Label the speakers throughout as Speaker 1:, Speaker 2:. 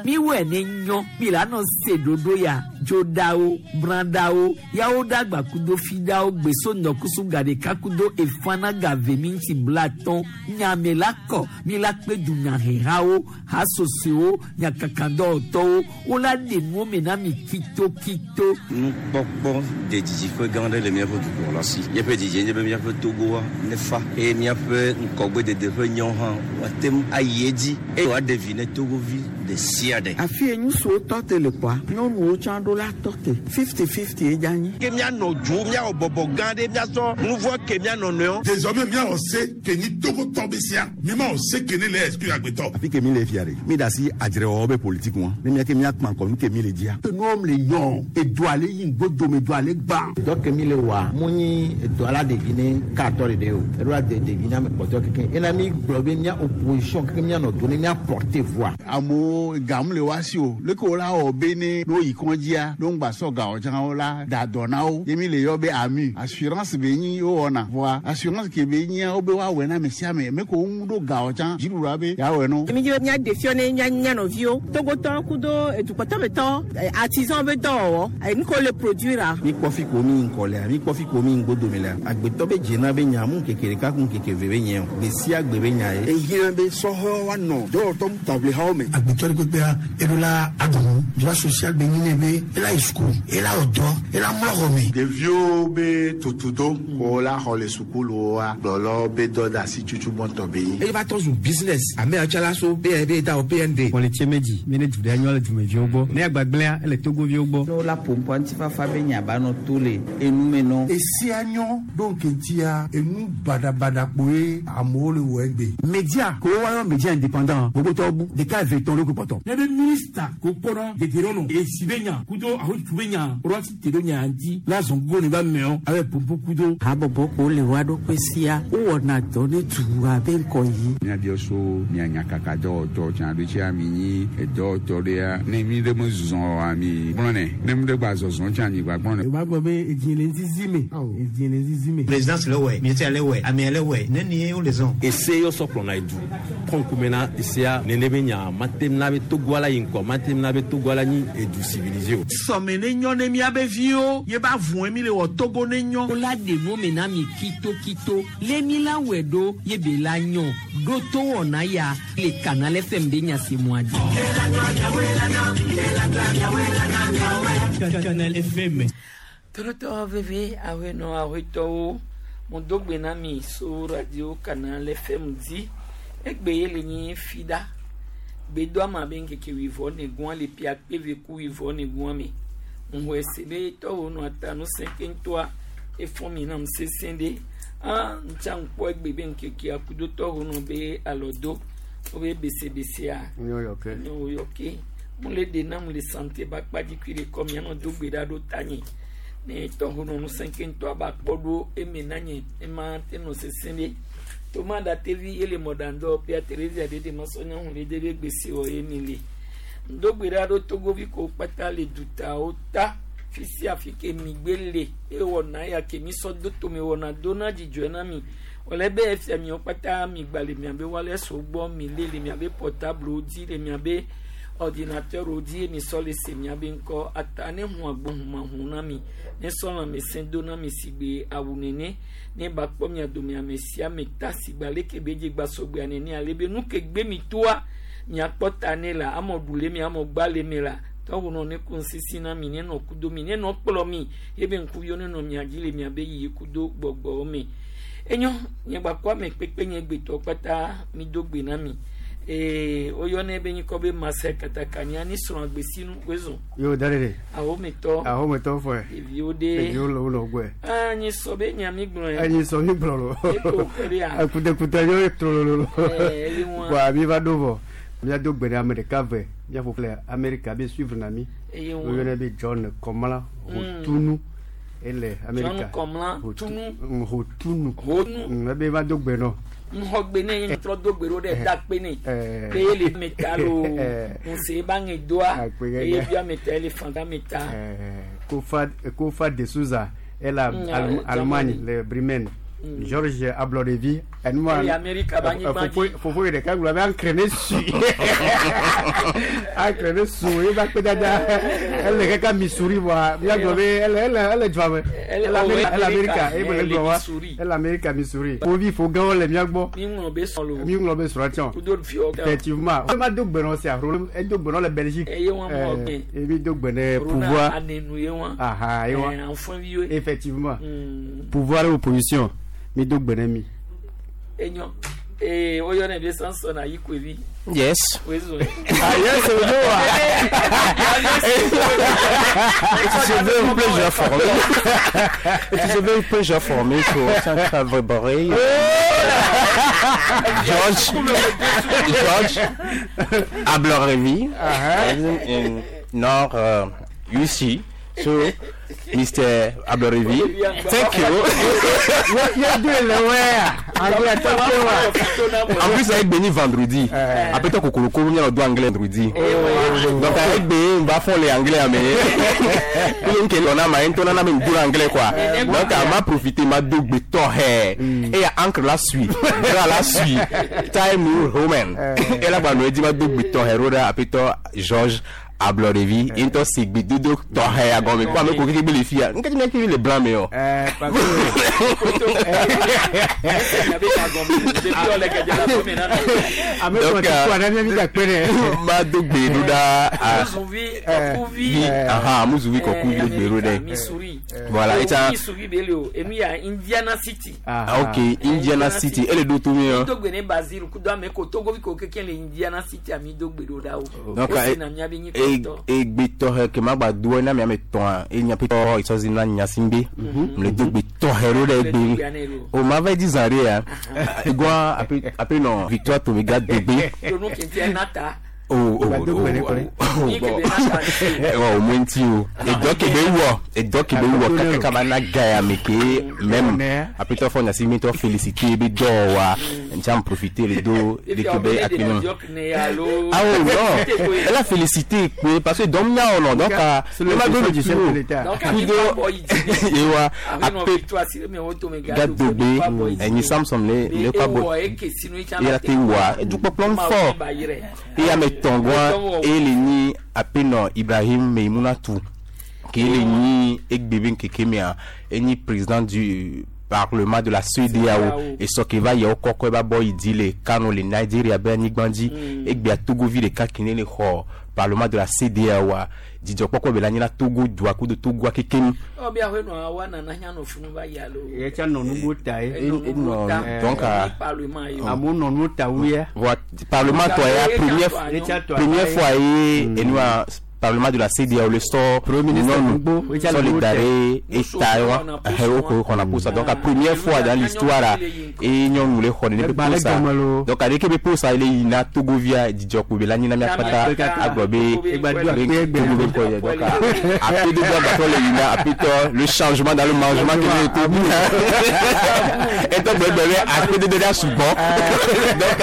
Speaker 1: Miwɔe ne nyɔ mi la nɔ se ɖoɖo ya dzoɖawo brãɖawo yawo ɖagba kudo fiɖawo gbeso ŋdɔkusu gaɖeka kudo efana gave minti blatɔn nyame la kɔ mi la kpe dunyahehawo hasosoewo nyakakadɔwɔtɔwo wola ɖe nuwo me na mi kitokito.
Speaker 2: Nukpɔkpɔ de didiƒe gã aɖe le míaƒe dukplɔla si. Míaƒe didie nye be míaƒe Togoa nefa eye míaƒe ŋgɔgbedede ƒe nyawo hã woate ŋu ayi edzi eye wòaɖe vi ne Togovi ɖe sia ɖe.
Speaker 3: Afi ye ŋutsuwo tɔ te le kpɔa, nyɔnuwo tsã ɖo la tɔ te. Fifty-fifty ye dze anyi.
Speaker 4: Ke míanɔ dzo, míawɔ bɔbɔ gã ɖe, míasɔ nuvɔ̃ ke mía nɔnɔewo.
Speaker 5: Désormais míawɔ se ke nyi Togotɔ be sia, mímawɔ se ke ne le exclure agbetɔ.
Speaker 6: Afi ke mi le fia ɖe, mi da asi adzrewɔwɔ be politique ŋua, ne mía ke mía kpa ŋkɔ nu ke mi le dzia.
Speaker 7: Enuwo le yɔ, edoa le yi ŋgodo me, edoa le gbã.
Speaker 8: Dɔ ke mi le wɔa, mu nyi edoa la ɖevi ne katɔ ɖeɖe o, eɖo la de ɖevi na ame kpɔtɔe keke. Ena mi gblɔ be mía opposition keke mía nɔ do ne mía porter voix.
Speaker 9: Amewo gam le woa si o, leke wo la wɔ be ne ne woyi kɔndzia, ne wogba sɔ gawo tsã wo la da dɔ na wo. Ye mi le yɔ be AMU, assurance be nyi wowɔna. Vɔa assurance ke be nyia wo be woawɔe na ame sia ame, me ko wo ŋu ɖo gawo tsã dziɖuɖua be yeawɔe no.
Speaker 10: Mi dzi be míaɖe fiɔ ne mía mía nɔviwo, Togotɔwo kudo edukpɔtɔmetɔ, artisan be dɔwɔwɔ, nu ke wole produire.
Speaker 8: Mi kpɔ fi ko mi ŋkɔ lea, mi kpɔ fi ko mi ŋgodome lea, agbetɔ be dzena be nya mu ŋkeke ɖeka ku ŋkeke ve be nye o, gbe sia gbe be nya ye.
Speaker 7: Ehiã be sɔhɛwo woanɔ dɔwɔtɔ taʋlihawo me.
Speaker 11: Agbetɔ ɖe kpekpea, eɖo la aɖu nu. Droit social be nyi nɛ be ela yi suku, ela wɔ dɔ, ela mlɔ xɔ me.
Speaker 12: Ɖeviwo be tutudo ko la xɔ le sukuluwoa, gblɔlɔ be dɔdeasi tutu gbɔntɔ be nyi.
Speaker 13: Eye va trɔ zu business. Ame yawo tsã la so BNB da o PND.
Speaker 14: Kpɔlitse medzi mi ne du ɖe nyɔ le dumeviwo gbɔ. Ne agbagblẽa ele Togoviwo gbɔ.
Speaker 15: Ne wola ƒo ŋutifafa be nya ba nɔ to le enume nɔ.
Speaker 16: Esia nyɔ ɖo ŋkeŋtia enu baɖabaɖa kpoe amewo le wɔ egbe.
Speaker 17: Media ko woayɔ media indépendant gbogbotɔwo bu ɖeka eve tɔn ɖokui kpɔtɔ.
Speaker 18: Ne be minista ko kpɔnɔ dedienɔnɔ esi be nya kudo ahotutu be nya ɖo asi te ɖo nya ŋuti la zɔn gogo ne ba meɔ abe pompo kudo.
Speaker 3: Habɔbɔ ko le woa ɖokui sia wowɔna dɔ ne dua be ŋkɔ yi.
Speaker 19: Míabiɔ so mía nyakaka dɔwɔtɔ tsã ɖo tsia mi nyi edɔwɔtɔ ɖea ne mi ɖe me zɔzɔ oa mi gblɔnɛ ne mi ɖe gba zɔzɔ tsã mi gba gblɔnɛ.
Speaker 20: Yorùbá gbọ́ pé èjì lè ń zizi mi èjì lè ń zizi mi.
Speaker 21: Présidence le wɛ, ministère le wɛ, amea le wɛ, ne ni wo le zɔn.
Speaker 22: Ese yɔ sɔ kplɔna edu kɔnkume na esea nene be nya mate na be Togoa la yi ŋkɔ mate na be Togoa la nyi edu civilisé o.
Speaker 23: Sɔme ne nyɔ ne míabe viwo ye ba vɔe mi le wɔ Togo ne nyɔ.
Speaker 1: Wola ɖe nuwo me na mi kitokito le mi la wɔe ɖo ye be la nyɔ ɖo to wɔna ya le Canal FM be nya si mua dzi.
Speaker 24: Canal FM.
Speaker 1: Torotɔ veve ahenɔ ahetɔwo mo do gbe na mi so radio Canal FM dzi egbe ye le nyi fida gbedo ama be ŋkeke wuivɔ ne gua le pia kpeve ku wuivɔ ne gua me ŋu ese be tɔwo nɔ ata nu sẽ keŋtɔa efɔ mi nam sesẽ ɖe a ŋtsa ŋkpɔ egbe be ŋkekea kudo tɔwo nɔ be alɔ do wobe besebesea nyɔyɔ ke mo le de nam le santé ba kpadzi kui le kɔ mianɔ do gbe ɖa ɖo ta nye ne tɔwo nɔ nu sẽ keŋtɔa ba kpɔ ɖo eme na nye ema te nɔ sesẽ ɖe toma da tevi ye le mɔɖaŋdɔ pia Terezia ɖe ɖe masɔ nyɔnu ɖe ɖe be gbese wɔ ye mi le ŋdogbe ɖa ɖo togovi ko kpata le dutawo ta fisia fi ke mi gbe le ewɔna ya ke mi sɔ do tome wɔna do na dzidzɔe na mi wòle be efia miwo kpata mi gba le miabe wireless gbɔ mi le le miabe portable dzi le miabe ordinateur dzi mi sɔ le se miabe ŋkɔ ata ne hu agbo humahu na mi ne sɔ lãmesẽ do na mi si gbe awu nene ne ba kpɔ mia dome ame sia ame ta si gba leke be dze gba sɔgbea nene ale be nu ke gbe mi toa miakpɔ ta ne la amɔ ɖu le mi amɔ gba le mi la tɔwo nɔ ne ku ŋsisi na mi ne nɔ kudo mi ne nɔ kplɔ mi ebe ŋkuviwo ne nɔ mia dzi le miabe yiyi kudo gbɔgbɔwo me enyo nye gba kɔ ame kpekpe nye gbetɔ kpata mi do gbe na mi ee woyɔnɛ be nyikɔ be Marcel Katakanya ni srɔ̃ agbesinu wezɔn.
Speaker 20: Yo darere.
Speaker 1: Ahometɔ.
Speaker 20: Ahometɔ fɔɛ.
Speaker 1: Ɖeviwo ɖe.
Speaker 20: Ɖeviwo le wo nɔ gbɔɛ.
Speaker 1: Aa nyi sɔ be nya mi gblɔ yɛ.
Speaker 20: Enyi sɔ mi gblɔ lo.
Speaker 1: Eko kpe ɖe ya.
Speaker 20: Ekutekute yɔ trolololo.
Speaker 1: Ɛɛ eyi ŋua.
Speaker 20: Bɔn mi va ɖo vɔ. Míado gbe ɖe ame ɖeka ve míaƒo le Amerika be suivre na mi.
Speaker 1: Eye ŋua.
Speaker 20: Woyɔnɛ be John Kɔmla Hotunu. Ele Amerika.
Speaker 1: John Kɔmla Tunu.
Speaker 20: Hotunu.
Speaker 1: Hotunu.
Speaker 20: Ebe va do gbe nɔ.
Speaker 1: Ŋxɔgbe ne ye trɔ do gbe ɖo ɖe da kpe ne. Be ye le meta lo. Ŋuse ba ŋe doa. Eye bia meta ele fanga meta.
Speaker 20: Kofa Kofa de Souza elle a Allemagne le Bremen. Georges Ablɔɖevi Enuma
Speaker 1: Ele Amerika ba anyigba dzi.
Speaker 20: Fofo yi ɖeka gblɔ be ankre ne sui. Ankre ne su ye ba kpe dada. Ele kaka Missouri vɔa míagblɔ be ele ele ele dua me.
Speaker 1: Ele
Speaker 20: Ele Amerika ele Amerika
Speaker 1: Ele
Speaker 20: eye be le gblɔ wa.
Speaker 1: Missouri.
Speaker 20: Ele Amerika Missouri. Fovi fo gãwo le mía gbɔ.
Speaker 1: Mi ŋlɔ be sɔn lo.
Speaker 20: Mi ŋlɔ be srɔ̃ tsɔ.
Speaker 1: Kudo fiɔ.
Speaker 20: Effectivement. Ma do gbe nɔ sia ro edo gbe nɔ le Belgique.
Speaker 1: Eye wɔn mɔ gbɛ.
Speaker 20: Eh, mi do gbe ne
Speaker 1: Rona
Speaker 20: pouvoir.
Speaker 1: anenu ye wɔn.
Speaker 20: Aha, ye wɔn.
Speaker 1: Eh, anfɔn viwe.
Speaker 20: Effectivement. Pouvoir et opposition. Mi do gbe ne mi.
Speaker 1: Enyo. Ee woyɔ ne be Samson Ayikoevi.
Speaker 2: Yes.
Speaker 1: Wezo.
Speaker 2: Ah, yes, c'est le It is a very pleasure for me. It is a very pleasure for me to thank everybody. George, George Ablorevi, in Nord UC. So, Mr. Ablorevi, thank you. En plus, avec Béni vendredi. Après toi, Kokoloko, on a le droit anglais vendredi. Donc, avec Béni, on va faire les anglais. Mais, on a on a même deux anglais quoi. Donc, on m'a profité, m'a double Et il y a encre la suite. La suite. Time New Roman. Et là, on dit, m'a double après toi, Georges. Ablorevi, into sigbi dodo tɔxɛ agɔme kó ame ko keke be le fia nketi mi kiri le blanc me o.
Speaker 20: Ame kɔ ti kɔ ana mi da kpe dɛ.
Speaker 2: Ma do gbe do ɖa.
Speaker 1: Muzuvi kɔkuvi.
Speaker 2: Aha muzuvi kɔkuvi do gbe do ɖe.
Speaker 1: Missouri.
Speaker 2: Voilà eta.
Speaker 1: Missouri be le o enu ya Indiana City.
Speaker 2: Ah, ok Indiana City ele do to mi
Speaker 1: Mi do gbe ne Basile kudo ame ko Togovi ko keke le Indiana City ami do gbe do ɖa o.
Speaker 2: Donc
Speaker 1: O si na mia be nyi kɔtɔ.
Speaker 2: egbe tɔxɛ ke ma gba do na miame tɔa enya pe tɔ isɔzi na nyasimbe le do gbe tɔxɛ ɖo ɖe egbe o ma va di zã ɖe ya egɔa ape ape nɔ Victoire Tomega dogbe.
Speaker 1: Tonu kente nata.
Speaker 2: O o o o o mo ŋuti o edɔ ke be wɔ edɔ ke be wɔ kaka kaba na ga ya me ke même apetɔ fɔ nyasi mi tɔ félicité be dɔ wa ntsa m profiter le do de ke be akpinɔ ah oh non elle a félicité kpe parce que dɔm nya o nɔ donc ne ma do le tu o kudo ewa ape gadogbe enyi Samson le le kɔ bɔ eye te wa edukpɔkplɔ fɔ eye ame tɔngɔa eye le nyi apenɔ Ibrahim Meimunatu ke le nyi egbebe nkeke mea enyi président du parlement de la CEDEAO esɔ ke va yɛwo kɔkɔ eba bɔ yi di le Kano le Nigeria be anyigba dzi egbea Togovi ɖeka ke ne le xɔ parlement de la CEDEAO a dzidzɔkpɔkpɔ be le anyi na Togo dua kudo Togoa kekem.
Speaker 1: Ɔ bi ahoe nɔ awa nana nya nɔ funu va ya lo.
Speaker 20: Ye tsa nɔ nugo ta ye.
Speaker 2: Enɔ donc
Speaker 1: Parlement ye.
Speaker 20: Amewo nɔ nuwo ta wu ya.
Speaker 2: Voilà, parlement tɔ ya première première fois ye enua parlement de la CEDEAO le sɔ
Speaker 20: ministre Gbogbo,
Speaker 2: nyɔnu solidarité eta wa ɛwɔ ko xɔna posa donc la première fois dans l'histoire la eye nyɔnu le xɔ nene pe posa donc aleke be posa le yina Togovia dzidzɔkpo be la nyina mia kpata agblɔ be Togo be ŋkɔ yɛ donc ape dodo agbatɔ le yina apetɔ le changement dans le mangement ke ne Togo etɔ gbɛgbɛ be ape dodo ɖe sugbɔ donc.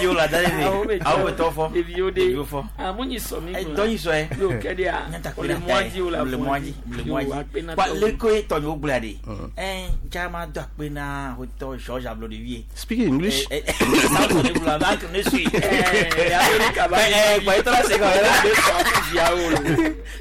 Speaker 4: Yo la dale de. Awo bɛ tɔ fɔ.
Speaker 1: Ɖeviwo de.
Speaker 4: Ɖeviwo fɔ.
Speaker 1: Amu nyi sɔ mi
Speaker 4: Ɛ, dɔ nyi sɔ yɛ.
Speaker 1: Yo kɛ de a. Le mɔ dzi o la
Speaker 4: Le mɔ dzi. Le mɔ dzi. Wa leko ye tɔnyewo gblɔa de. Ɛ caman do akpe na hotɔ George Ablodevi.
Speaker 2: Speak English.
Speaker 4: Ɛ ɛ Samson ne gblɔ a ne sui.
Speaker 1: Amerika ba.
Speaker 4: Ɛ kpa etɔ la se kɔ yɛrɛ.
Speaker 1: Be srɔ̃ ku viawo lo.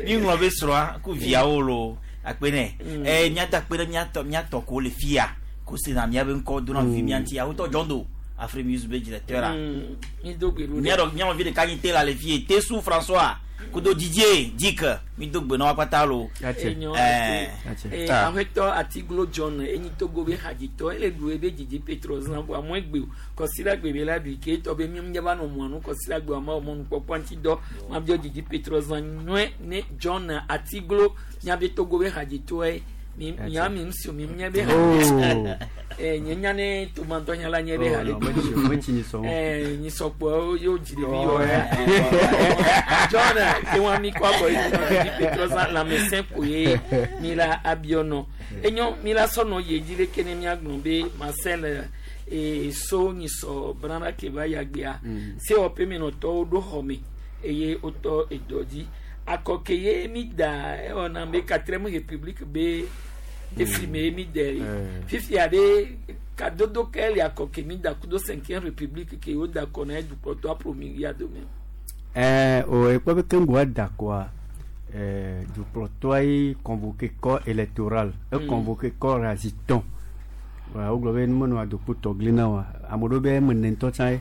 Speaker 4: Mi ŋlɔ be srɔ̃a ku viawo lo akpe nɛ. Ɛ miado akpe ɖe miatɔ miatɔ ko le fia ko se na miabe ŋkɔ dona vi mia ŋuti awotɔ John Do Afri Music be directeur la.
Speaker 1: Mi do gbe ɖo ɖe.
Speaker 4: Miaɖɔ mianɔvi ɖeka nyi te la le fie Tesu François kudo Didier Dick mi do gbe na wa kpata lo.
Speaker 1: Enyo
Speaker 4: Ɛ
Speaker 1: ate. Aƒetɔ Atiglo John enyi Togo be hadzitɔ ele ɖu ebe dzidzi Petro zã vɔ amewo egbe o kɔsira gbe be la ɖui ke etɔ be mi ŋdza va nɔ mɔa nu kɔsira gbe ama mɔnu kpɔkpɔ ŋuti dɔ mabiɔ dzidzi Petro zã nyɔe ne John Atiglo miabe Togo be hadzitɔe mi mia mi ŋusi mi nya be
Speaker 20: Oh.
Speaker 1: ɛ nye nya ne tomatɔ nya la nye be
Speaker 20: Oh,
Speaker 1: ha le
Speaker 20: non, metsi nyi sɔ.
Speaker 1: ɛ nyisɔkpɔ yóò dzi ɖevi yɔ John ke wa mi kɔ abɔ yi dzidzi Petro zã lãmesẽ ko ye mi la abiɔ nɔ enyo mi la sɔnɔ ye dzi ɖeke ne miagblɔ be Marcel ee so nyisɔ brana ke va yagbea sewɔƒe menɔtɔwo ɖo xɔ me eye wotɔ edɔ dzi akɔ ke ye mi da ewɔna be quatrième république be Efli me ye mi de li. Fifia ɖe kadodo ke le akɔ ke mi da kudo cinquième république ke wo da kɔ na edukplɔtɔ apromi ya dome.
Speaker 20: Ɛɛ o ekpɔ be keŋgbo da kɔa ɛɛ dukplɔtɔa ye convoqué corps électoral e convoqué corps aziton wa wogblɔ be numenɔ adokpo tɔgli na wa ame ɖewo be eme ne ŋutɔ tsã ye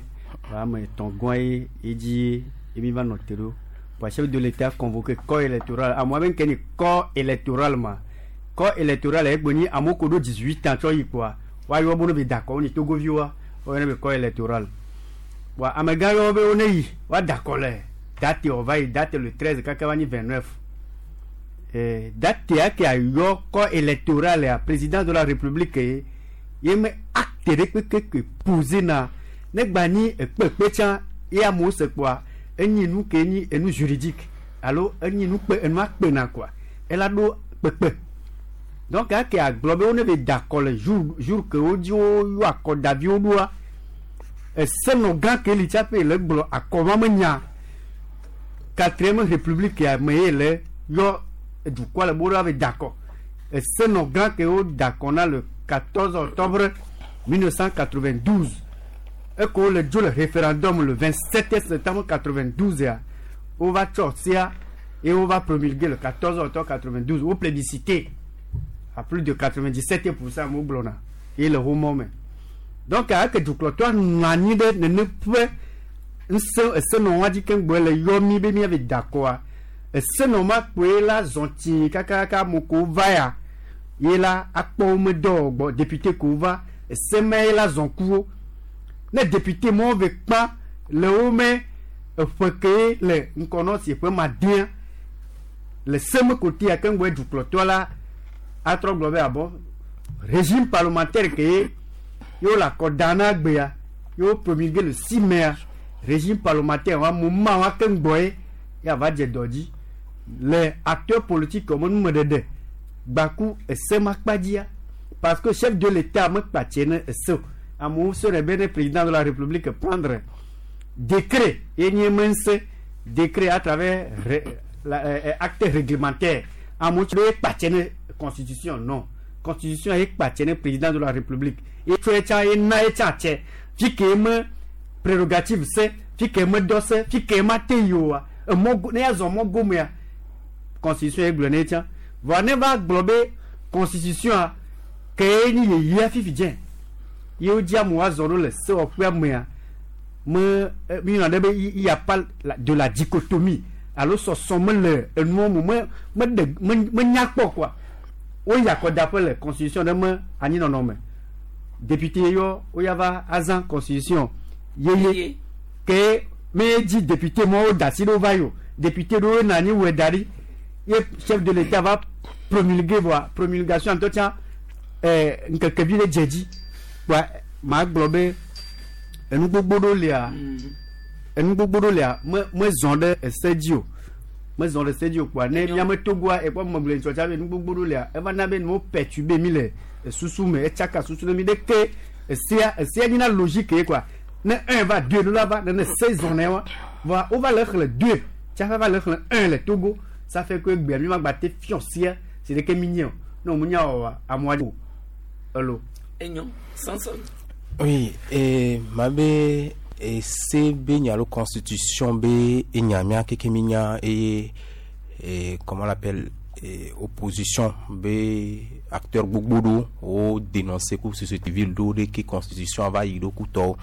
Speaker 20: wa ame etɔ̃ gɔ̃ ye edzi ye mi va nɔ te ɖo wa chef de l'état convoqué corps électoral amewo be nke ni corps électoral ma corps électoral egbe nyi amewo ko ɖo 18 ans tsɔ yi kpoa woayɔ be ne be da akɔ wo nyi togoviwoa woyɔna be corps électoral wa amegã yɔ be wo ne yi woada akɔ le date wòva yi date le 13 kaka va nyi 29 eh, date ya ke ayɔ corps électoral ya président de la république ye ye me acte ɖe kpekpe ke posé na ne gba nyi ekpekpe tsã ye amewo se kpoa enyi nu ke nyi enu juridique alo enyi nu kpe enua kpena koa ela ɖo kpekpe donc ake agblɔ be wo ne be da akɔ le jour jour ke wo dzi wo yɔ akɔdaviwo ɖoa esenɔ gã ke li tsaƒe le gblɔ akɔ ma me nya quatrième république ya me ye le yɔ dukɔa le bo ɖo ave da akɔ esenɔ gã ke wo da akɔ na le 14 octobre 1992 eko le dzo le référendum le 27 septembre 92 ya wo va tsɔ sia et on va promulguer le 14 octobre 92 wo plébiscité à plus de 97% mo gblɔna ye le wo me donc ake dukplɔtɔa nɔ anyi ɖe nene ƒe ŋusẽ esenɔ wa dzi keŋ le yɔ mi be miave da akɔa esenɔ ma kpoe la zɔn tsi kakaka ame ko va ya ye la akpɔ wo me dɔ gbɔ député ko va eseme ye la zɔn ku wo ne député mɔwo ve kpa le wo me eƒe ke le ŋkɔnɔ si ƒe ma dea le seme kote ya keŋ gbɔ dukplɔtɔ la atrɔ gblɔ be abɔ régime parlementaire ke ye yewo le akɔ da na gbea yewo promulgué le 6 mai régime parlementaire wa mo ma wa keŋ gbɔ ye ya va dze dɔ dzi le acteur politique wɔme numeɖeɖe gbaku ese ma kpa dzia parce que chef de l'état me kpa tse ne ese o amewo sɔrɔ be ne président de la république prendre décret ye nye me ŋusẽ décret à travers ré, la, acte réglementaire amewo tso ye kpa tse ne constitution non constitution ye kpa tse ne président de la république ye tso ye tsã ye na ye tsã tse fi ke me prérogative se fi ke me dɔ se fi ke ma te yi oa emɔ ne ya zɔ mɔ gomea constitution ye gblɔ ne tsã vɔa ne va gblɔ be constitution a ke ye nyi yeyea fifi dze ye wo dzi amewo azɔ ɖo le sewɔƒea mea me mi yɔna ɖe be il y a pas de la dichotomie alo sɔsɔ me le enuwo me me me ɖe me me nya kpɔ quoi woyi akɔdaƒe le constitution ɖe me anyinɔnɔ me député yɔ woya va azã constitution yeye ke me dzi député mɔwo da asi ɖo va yi o député ɖewo nɔ anyi wɔe da ɖi ye chef de l'état va promulguer voa promulgation ŋutɔ tsã ɛɛ ŋkeke vi ɖe dze dzi kpoa maa gblɔ be enu gbogbo ɖewo lia enu gbogbo ɖewo lia me mezɔn ɖe ese dzi o mezɔn ɖe ese dzi o kpoa ne miame togoa ekpɔ megblɔ ŋutɔ tsã be enu gbogbo ɖewo lia eva na be nuwo perturber mi le esusu me etsaka susu ne mi ɖeke esea esea nyina logique ye quoi ne un va deux ɖo la va ne ne se zɔn ne wa voa wova le xlẽ deux tsaƒe va le xlẽ un le Togo ça fait que gbea mi ma gba te fiɔ sia si ɖeke mi nye o ne wo nya wɔwa amewoa o elo.
Speaker 1: Enyo Samson.
Speaker 2: Oui, et ma be ese be nya alo constitution be enya mia keke mi nya eye comment on l'appelle opposition be acteur gbogbo ɖo wo dénoncer ku société civile ɖo ɖe ke constitution va yi ɖo kutɔwo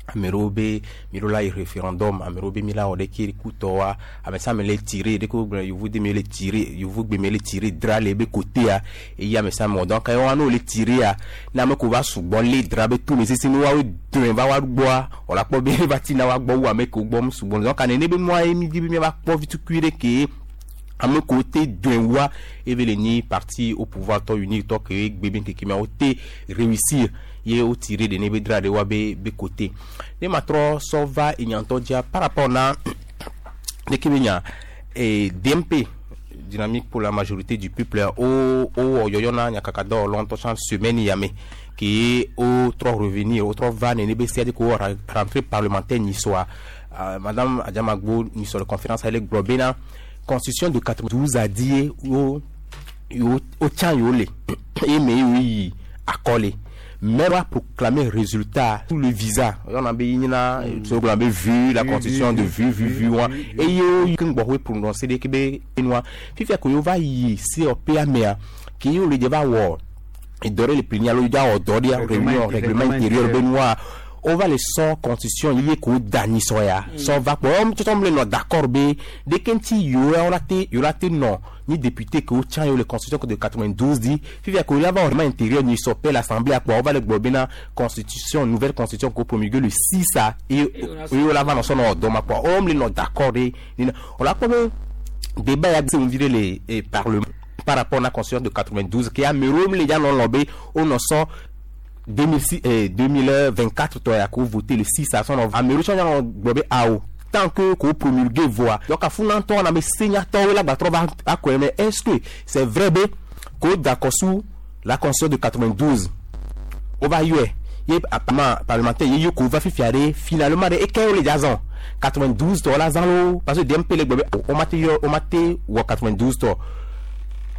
Speaker 2: ame ɖewo be mi ɖo la yi référendum ame ɖewo be mi la wɔ ɖe ke kutɔwoa ame sia ame le tirer ɖe ke wogblɔ yevu de mi le tirer yevu gbe mi le tirer drap le ebe côté eye ame sia ame wɔ donc ewa ne wo le tirer ya ne ame ko va sugbɔ lé drap be to me sese ne woawo dɔe va wa gbɔa wòle akpɔ be va tina wa gbɔ wu ame kewo gbɔ mu sugbɔ donc nene be nua ye mi di be miava kpɔ vitukui ɖe ke ame kewo te dɔe wua ebe le nyi parti au pouvoir tɔ unique tɔ ke gbe be ŋkeke mea wo te réussir ye wo tirer de ne be drap ɖe wa be be côté ne ma trɔ sɔ va enyatɔ dzia par rapport na ɖeke be nya DMP dynamique pour la majorité du peuple o o wɔ yɔyɔ na nyakakadɔwɔlawo ŋutɔ tsã semaine ya me ke wo trɔ revenir wo trɔ va nene be sia de ko wɔ rentrée parlementaire nyisɔa madame Adjamagbo nyisɔ le conférence ale gblɔ bena constitution de 92 a die wo yewo wotsã yewo le eye me yewo yi akɔ le mais va proclamer résultat tout le visa yɔna be yina so gblɔ be vu la constitution de vu vu vu wa eye wo ke ŋgbɔ hoe prononcer ɖe ke be enua fifia ko yewo va yi COP amea ke yewo le dze va wɔ edɔ ɖe le plénière alo dza wɔ dɔ ɖea réunion règlement intérieur be nua on va le sɔ constitution ye ko da nyi sɔ ya sɔ va kpɔ wɔm tsɔtsɔ le nɔ d'accord be ɖeke ŋuti yewo ya wola te yewo la te nɔ ni député ke wotsã yewo le constitution de 92 di fifia ko la va wɔ règlement intérieur nyi sɔ pe l'assemblée akpɔ wova le gblɔ bena constitution nouvelle constitution ko promulgué le 6 a eye eye wola va nɔ sɔ nɔ dɔ ma kpɔ wɔm le nɔ d'accord ɖe nina wòla kpɔ be débat ya se ŋuvi ɖe le eh, parlement par rapport à la constitution de 92 ke amewo le dza nɔ lɔ be wonɔ sɔ 2006, 2024 tɔ ya ko voté le 6 a sɔnɔ amewo tsɔ nyanɔ gblɔ be awo tant que ko promulgué voa donc afunatɔ na me senyatɔwo la gbatrɔ va akɔe mais est-ce que c'est vrai be ko d'accord sur la constitution de 92 o va yɔɛ ye apparemment parlementaire ye ko va fifia ɖe finalement ɖe eke wo le dza zɔn 92 tɔ la zã lo parce que DMP le gblɔ be o ma te yɔ o ma te wɔ 92 tɔ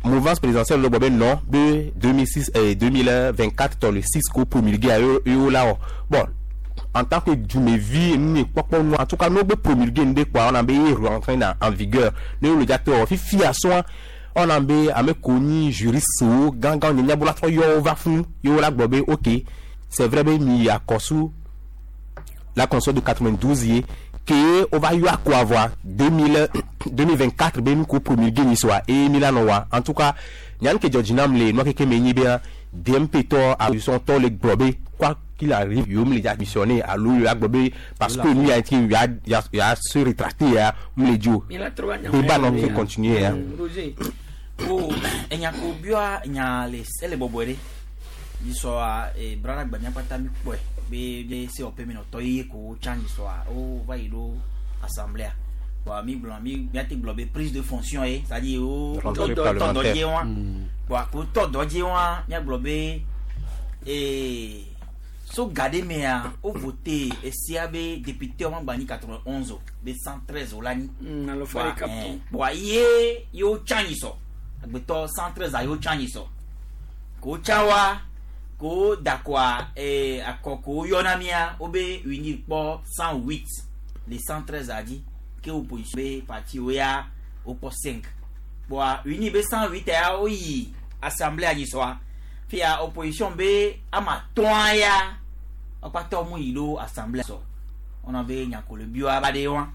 Speaker 2: mouvance présidentielle le gbɔ be non be 2006 2024 tɔ le 6 ko promulgué a yo la wɔ bon en tant que dumevi nu kpɔkpɔ nu en tout cas n'o be promulgué nu de kpɔa on a be ye rentré en vigueur ne wo le dza te wɔ fifia sɔa on a be ame ko nyi juriste wo gãgã nye nyabola trɔ yɔ wo va fún ye wo la gblɔ be ok c'est vrai be mi akɔsu la constitution de 92 ye ke o va yɔ akɔ avoir 2000 2024 be nu ko promulgué nyi soa eye mi la nɔ wa en tout cas nyan ke dzɔdzi nam le nua keke me nyi be DMP tɔ opposition tɔ le gblɔ be quoi qu'il arrive yewo mi le dza missionner alo yewo agblɔ be parce que nu ya ti ya ya ya se rétracter ya mu le dzi o débat nɔ fi continuer ya.
Speaker 1: Roger.
Speaker 4: o enya ko bia nya le ele bɔbɔe ɖe nyisɔa brada gba miakpata mi kpɔe be be COP mi nɔtɔ ye ko tsã nyisɔa wo va yi ɖo assemblée bon mi gblɔ mi miate gblɔ be prise de fonction ye c'est à dire wo
Speaker 2: Rentrée
Speaker 4: tɔ dɔ
Speaker 2: parlementaire.
Speaker 4: dzi wa bon ko tɔ dɔ dzi wa miagblɔ be so ga ɖe mea wo voté esia be député wo magba nyi 91 o be 113 o la nyi
Speaker 1: alo fa ɖeka tɔ.
Speaker 4: bon ye yewo tsã nyisɔ agbetɔ 113 a yewo tsã nyisɔ ko tsã wa ko dakɔa akɔ ko yɔna mia wo be unir kpɔ 108 le 113 a dzi ke opposition be parti wo ya wo kpɔ 5 bɔn unir be 108 ya wo yi assemblée anyisɔa fia opposition be ama tɔa ya wokpatɔ mu yi ɖo assemblée sɔ wɔna be nyakolo bia ba de wa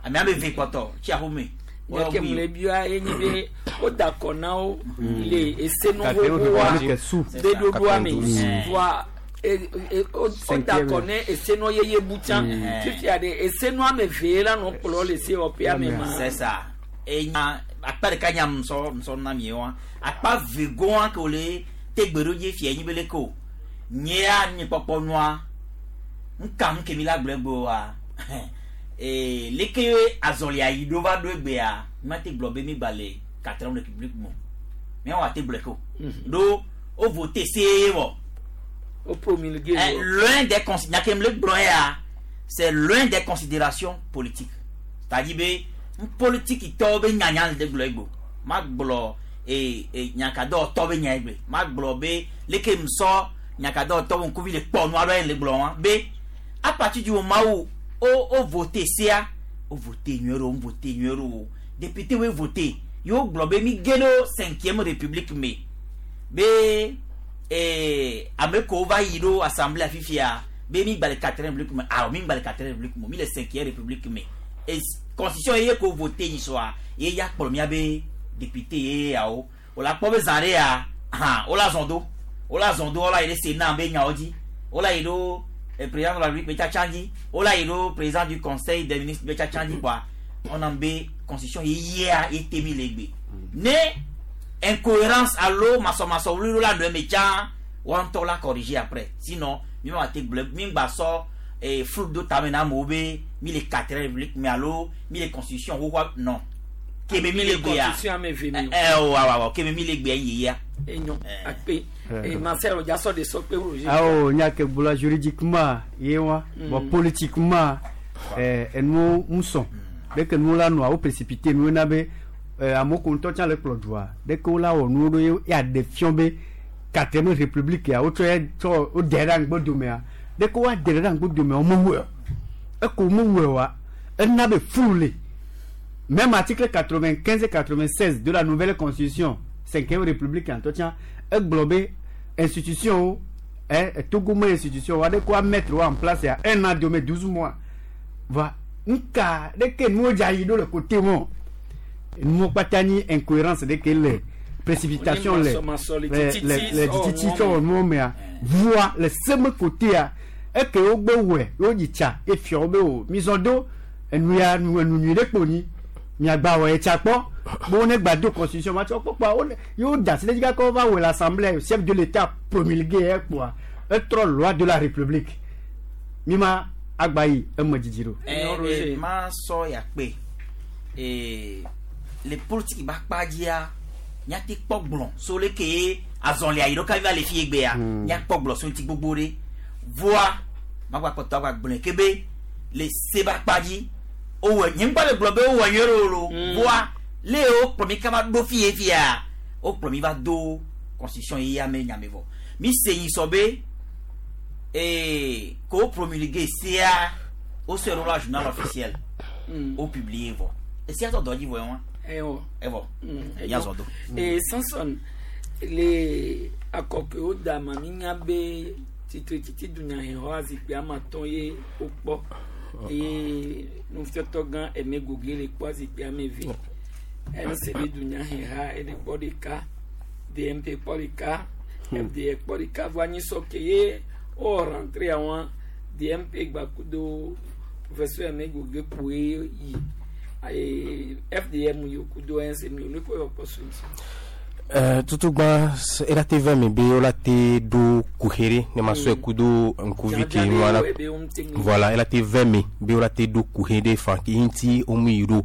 Speaker 4: amea be ve kpɔtɔ tsi aƒome
Speaker 1: Nyake mu le bia ye nyi be wo da akɔ na wo le esenu
Speaker 20: Quatre-vingt-onze
Speaker 1: xoxoa
Speaker 20: virgule sous.
Speaker 1: be ɖoɖoa me
Speaker 20: Mm.
Speaker 1: voa wo da akɔ ne esenu yeye bu tsã fifia ɖe esenu ame ve la nɔ kplɔ le COP ame ma.
Speaker 4: C'est ça. Enya akpa ɖeka nya ŋusɔ ŋusɔ na mi wa. Akpa ve gɔa ke wòle te gbe ɖo dzi fia nyi be leke o. Nyea nye kpɔkpɔ nua. Ŋka nu ke mi la gblɔ egbe wa. Ee leke azɔlia yi ɖo va ɖo egbea mi ma te gblɔ be mi gba le quatrième république me o. Miawɔ ate gblɔe ke o. Ɖo wo voté see vɔ.
Speaker 1: Wo promulgué
Speaker 4: Eh,
Speaker 1: vɔ.
Speaker 4: loin des considérations, nya ke le gblɔ ya, c'est loin des considérations politiques. C'est-à-dire be politique tɔwo be nyanya le de gblɔ egbo. Ma gblɔ e nyakadɔ tɔ be nya egbe. Ma gblɔ be leke ŋusɔ nyakadɔ tɔ be ŋkuvi le kpɔ nua ɖe le gblɔ wa be à partir du moment où o voté sia, o voté nyuie ɖo, o voté nyuie ɖo o. Député wo voté, yewo gblɔ be mi ge ɖo cinquième république me be ame kewo va yi ɖo assemblée fifia be mi gba le quatrième république me awɔ mi gba le quatrième république me mi le cinquième république me et constitution ye ko voté nyi sɔa ye ya kplɔ mia be député ye yawo o la kpɔ be zã ɖe ya hã o la zɔn do o la zɔn do o la yi ɖe sénat be nyawo dzi o la yi ɖo président de la république be tsatsa dzi o la yi ɖo président du conseil des ministres be tsatsa dzi kɔa on en be constitution ye yia ye te mi le gbe ne incohérence alo masɔmasɔ wuli la nɔ eme tsã wɔn ŋutɔ la corriger après sinon mi ma te gblɔ mi gba sɔ flou do tame na amewo be mi le quatrième république mais alo mi le constitution xoxoa non kebe mi le gbea
Speaker 1: Constitution ame ve mi o.
Speaker 4: ɛ o awɔ awɔ kebe mi le gbea yeyia.
Speaker 1: Enyo akpe Marcel dza sɔ de sɔ kpe Roger.
Speaker 20: awo nya ke gblɔ juridiquement ye wa bon politiquement enuwo ŋusɔ leke nuwo la nɔa wo précipité nuwo na be Amewo ko ŋutɔ tsã le kplɔ dua ɖeke wola wɔ nuwo ɖo ye ya ɖe fiɔ be quatrième république ya wotsɔ ya tsɔ woɖe ɖe aŋgbodomea ɖeke woaɖe ɖe aŋgbodomea womewɔe o. Eko womewɔe oa ena be fulu le. Même article 95 et 96 de la nouvelle constitution cinquième république ŋutɔ tsã egblɔ be institution wo Togo me institution wo aɖeke woa mettre wo en place ya un an dome 12 mois va nuka ɖeke nuwo dza yi ɖo le côté mɔ nuwo kpata nyi incohérence ɖeke le précipitation le le dzitsitsi tsɔ wɔ nuwo mea voa le seme côté eke wogbe wɔe wodzi tsa efia wo be o mizɔ do enu ya nu enu nyui ɖe kpo nyi miagba wɔ etsa kpɔ be wo ne gba do constitution ma tsɔ kpɔkpɔa wo ye wo da asi ɖe edzi gake wova wɔe le assemblée chef de l'état promulgué ekpoa etrɔ loi de la république mi ma agba yi eme dzidzi ɖo.
Speaker 4: Ma sɔ ya kpe le politique ba kpa dzia míate kpɔ gblɔ so leke ye azɔlia yi ɖo kavi va le fi egbea míakpɔ gblɔ so ŋuti gbogbo ɖe voa magba kpɔtɔ agba gblɔe ke be le se ba kpa dzi wowɔ nye ŋgba le gblɔ be wowɔ nyuie ɖo lo voa le wo kplɔ mi kaba ɖo fi ye fia wokplɔ mi va do constitution ye ya me nyame vɔ mi se nyi sɔ be ko wo promulgué sia wosɔe ɖo la journal officiel wo publier vɔ esia tɔ dɔ dzi vɔ ye wa evɔ yazɔ do.
Speaker 1: Samson le akɔkewo da ma mi nya be tsitretsitsi dunyahexɔ zikpui ame atɔ̃ ye wokpɔ eye nufiɔtɔ gã Aimé Gogué le kpɔ zikpui ame eve NCB dunyaheha ele kpɔ ɖeka DMP kpɔ ɖeka FDR kpɔ ɖeka vɔ anyisɔ ke ye wo rentré àwọn DMP gbakudo professeur Aimé Gogué kpoe yi FDR mu yi kudo NC mu yi olùkọ́ yɔ kpɔ so ŋuti.
Speaker 2: Tutugba ela te vɛ mi be wola te ɖo kuxi ne ma sɔe kudo ŋkuvi ke nua la voilà ela te vɛ mi be wola te ɖo kuxi ɖe fan ke ŋuti womu yi ɖo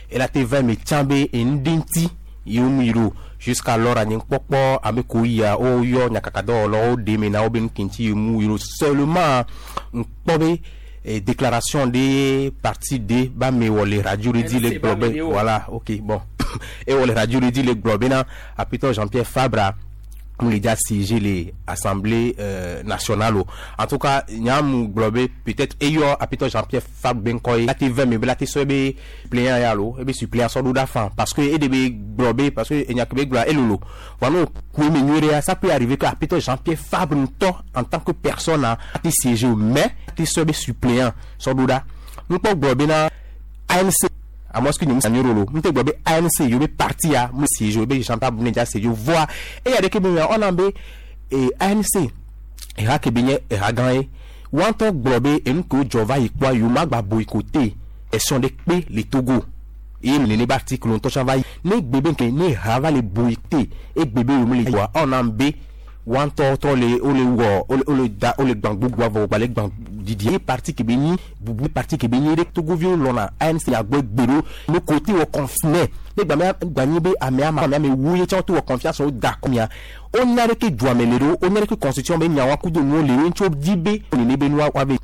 Speaker 2: ela te vɛ mi tsã be enu ɖe ŋuti ye womu yi ɖo jusqu'alors anyi kpɔkpɔ ame ko yia woyɔ nyakakadɔwɔlawo ɖe me na wo be nu ke ŋuti ye mu yi ɖo seulement ŋkpɔ be déclaration de parti de ba me wɔ le radio ɖe di le gblɔ be voilà ok bon et wɔ le radio ɖe di le gblɔ bena apitɔ Jean-Pierre Fabre mu le dza siéger le assemblée nationale o en tout cas nyamu gblɔ be peut-être eyɔ apitɔ Jean-Pierre Fabre be ŋkɔ ye la te vɛ me be la te sɔ ebe pliant ya lo ebe suppléant sɔ ɖo ɖa fan parce que e de be gblɔ be parce que enya ke be gblɔa elolo voa n'o ku eme nyuie ɖea ça peut arriver que apitɔ Jean-Pierre Fabre ŋutɔ en tant que personne a te siéger o mais te sɔ ebe suppléant sɔ ɖo ɖa nukpɔ gblɔ bena ANC à moins que nous nous rolo nte gblɔ be ANC yo be parti ya mu siéger be Jean Fabre ne dza siéger voa eya ɖeke be on a be ANC eha ke be nye eha gã ye wɔntɔ gblɔ be enu ke wodzɔ va yi kpɔa yewo ma gba boycotté élection ɖe kpe le Togo ye nene be article ŋutɔ tsã va yi ne gbe be nke ne ha va le boycotté egbe be yewo le wa ɔna be wɔntɔ trɔ le wole wɔ wole da wole gbã gbogbo avɔ gba le gbã didi ye parti ke be nyi bubu parti ke be nyi ɖe togoviwo lɔna ANC agbɔ gbe ɖo no côté wɔ confiné ne gbame gbanyi be amea ma amea me wu ye tsã to wɔ confiance wo da kɔmia wonya ɖe ke dua me le ɖo wonya ɖe ke constitution be nyawo kudo nuwo le ɖo ŋutsu di be nene be nua wa be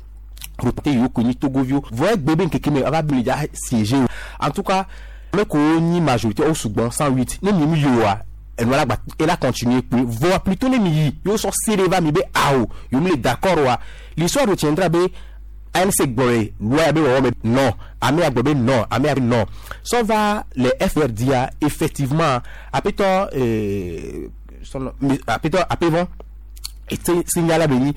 Speaker 2: rote yiwo ko nyi togoviwo vɔ egbe be ŋkeke me ava bi le dza siéger o en tout cas ame ko nyi majorité wo sugbɔn 108 ne mi mi yi oa enua la gba ela continuer kpe vɔa plutôt ne mi yi yewo sɔ se ɖe va mi be awo yewo mi le d'accord oa l'histoire retiendra be ANC gblɔ le loi ya be wɔwɔ me non ame ya gblɔ be non ame ya be non sɔ va le FRD effectivement apetɔ apetɔ apevɔ ete signala be nyi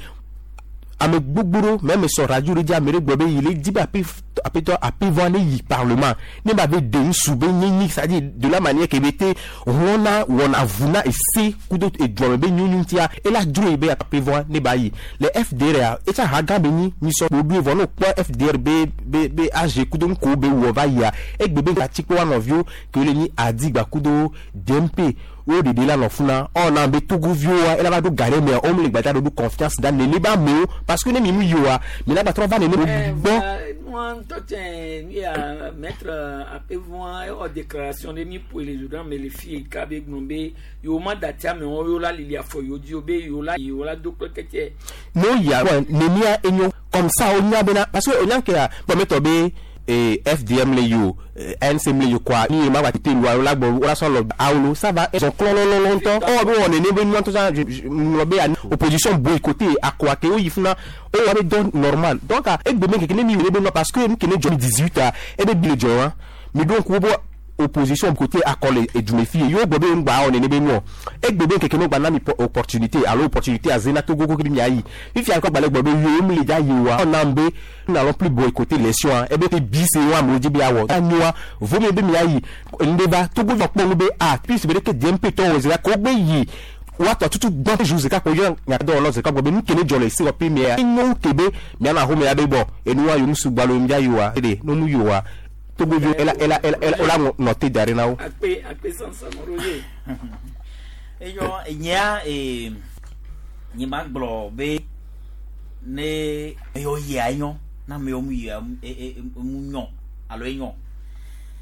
Speaker 2: ame gbogbo ɖo même sɔ radio ɖe dzi ame ɖe gblɔ be yi le di be apetɔ apevɔ ne yi parlement ne ba be de ŋsu be nyenyi c'est à dire de la manière ke be te hlɔna wɔna vuna ese kudo eduame be nyonyo ŋutia ela dzro yi be apevɔ ne ba yi le FDR ya etsa ha gã be nyi nyisɔ ɖoɖoe vɔ ne wokpɔ FDR be be be AG kudo ŋko be wɔ va yia egbe be atsikpe wa nɔviwo ke le nyi Adigba kudo DMP wo ɖeɖe la nɔ funa ɔna be togoviwo wa ela va ɖo ga ɖe mea wo le gbadza ɖo confiance da nene ba amewo parce que ne mi mu yi oa mi la gba trɔ va nene gbɔ.
Speaker 1: Nua ŋutɔ tse nu ya maître apevɔa ewɔ déclaration ɖe mi ƒoe le journal me le fi ka be gblɔ be yewo ma dati amewo yewo la lili afɔ yewo dzi o be yewo la yewo la do kple kɛtɛ.
Speaker 2: Ne ya nenia enyo comme ça o nya bena parce que o nya ke ya gbɔmɛtɔ be Et FDM le yo, NCM le yo quoi, ni ma va te loi la bo la so lo awlo, ça va ils ont clon longtemps. Oh bon on est né ben tout ça je be opposition boycotter à quoi que il funa o wa don normal. Donc et demain que ni mi be parce que nous qui 18 a et be bi le joint. Mais donc wo opposition côté accord et du méfi yo bobe ngba on ne be no e gbebe keke no gba na mi opportunité alors opportunité à zena togo ko mi ayi fifi akọ gbale gbobe yo mi le ja yi wa on ambe nous n'allons plus boycotter les soins e be bi se wa mo ji bi awo anua vo mi be mi ayi ndeba togo va pon be a puis be ke DMP to o zera ko gbe yi wa to tutu gbon ju zeka ko yo nya do lo zeka gbobe nu kene jole si wa pe mi a inu kebe mi ana ho mi abe bo enu wa yo musu gbalo mi ja yi wa ede no mu yo wa Togo ela ela ela ela ola noté derrière na
Speaker 1: Akpe akpe sansan Roger.
Speaker 4: Eyo nya e ni ma gblɔ be ne eyo yia enyo na me mu yia e mu nyɔ alo enyo.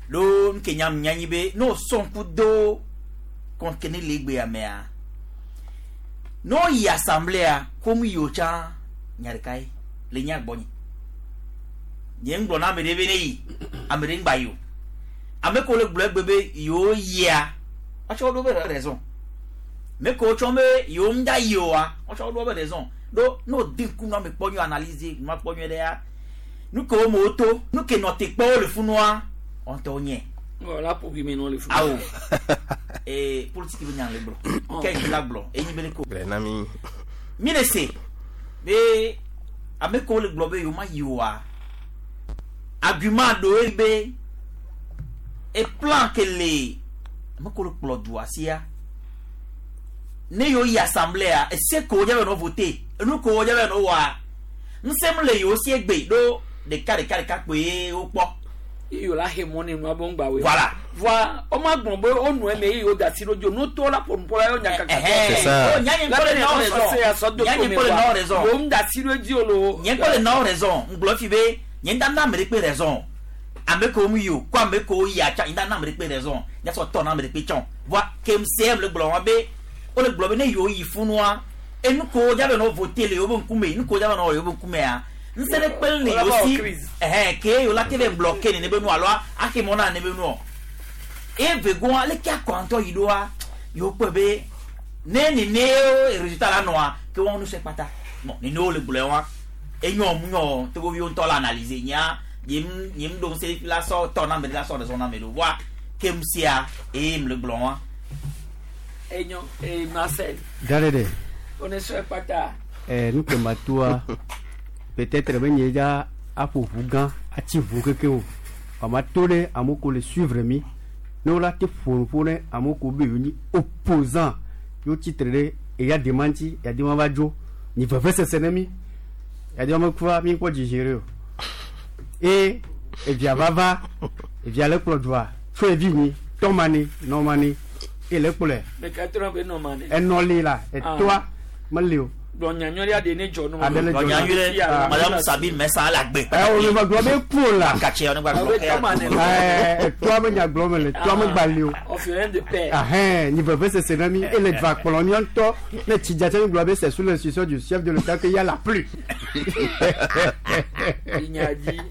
Speaker 4: Lo nke nya nyanyi be no son ku do kon kene legbe amea. No yi assemblée ko mu yo cha nyarikai le nya gbonyi. Nye ŋgblɔ na ame ɖe be ne yi ame ɖe ŋgba yi o ame ko le gblɔ egbe be yewo yia woatsɔ ɖo be raison me ko tsɔ be yewo ŋda yi oa woatsɔ ɖo be raison ɖo ne wòdi ŋku nu ame kpɔ nyuie analyse nua kpɔ nyuie ɖea nu ke wo me woto nu ke nɔ te kpɔ wo le funua wɔn tɔ nye.
Speaker 1: Wala pour bi me no le funu.
Speaker 4: Awo ee politique be nya le gblɔ ke yi la gblɔ enyi be le ko.
Speaker 2: Nami.
Speaker 4: Mi le se be ame ko le gblɔ be yewo ma yi oa. Argument do be e plan que le me ko kplo du asia ne yo yi assemblée a e se ko jabe no voter nu ko jabe no wa nsem le yo si egbe do de ka de ka de ka pe o po
Speaker 1: yo la he money nu abon gba we.
Speaker 4: Voilà.
Speaker 1: Voi o ma gbon be o nu e me yo da si rojo no to la por por yo nya kaka.
Speaker 4: C'est ça. Nya nya ko le no raison. Nya nya ko le no raison.
Speaker 1: O nda si rojo lo.
Speaker 4: Nya ko le no raison. Nglo fi be nye nda na mere pe raison ame ko mu yo ko ame ko ya cha nda na mere pe raison nya so to na mere pe chon voi KMCM le gblɔ be o le gblɔ be ne yo yi funua enu ko ja be no voter le yo be nkume nu ko ja be no yo be nkume a nse le pe le yo si eh ke yo la ke be bloquer ne be nu alo a ke mo na ne be nu o e ve go ale ka kwanto yi do a yo pe be ne ni ne résultat la no a ke won nu se pata bon ni no le gblɔ wa enyo mu nyo to go ntɔ la analyser nya yim yim do se la so to na me la so de so na me do wa ke msia e m le gblɔ wa
Speaker 1: enyo e Marcel
Speaker 20: Darede
Speaker 1: on est sur pata
Speaker 20: eh nu ke matua peut-être be nye ja aƒo ʋu gã atsi ʋu keke o ama to ɖe amewo ko le suivre mi ne wola te ƒo ƒo ne amewo ko be yewo nyi opposant yewo tsitre ɖe eya dema ŋuti ya dema va dzo nyi vevesese ne mi ya dema mekua mi kpɔ dzidzi o eye evia vava evia le kplɔ dua tso evi nyi tɔmani nɔmani eye le kplɔe.
Speaker 1: Meka trɔ be nɔmani.
Speaker 20: Enɔli la etoa meli o.
Speaker 1: Gbɔnyanyɔlia de ne dzɔ nɔ.
Speaker 20: Adele dzɔ
Speaker 4: nɔ. Madame Sabine Messa la gbe.
Speaker 20: Ɛ o le gblɔ be ku la.
Speaker 4: Katsi ne gba gblɔ.
Speaker 20: Ɛɛ toa me nya gblɔ me le toa me gba li o.
Speaker 1: Orphelin de père.
Speaker 20: Ahɛn ni veve sese na mi ele va kplɔ mi ŋutɔ ne tsi dza mi gblɔ be c'est sous l'instruction du chef de l'État que y a la pluie.
Speaker 1: Inyadi.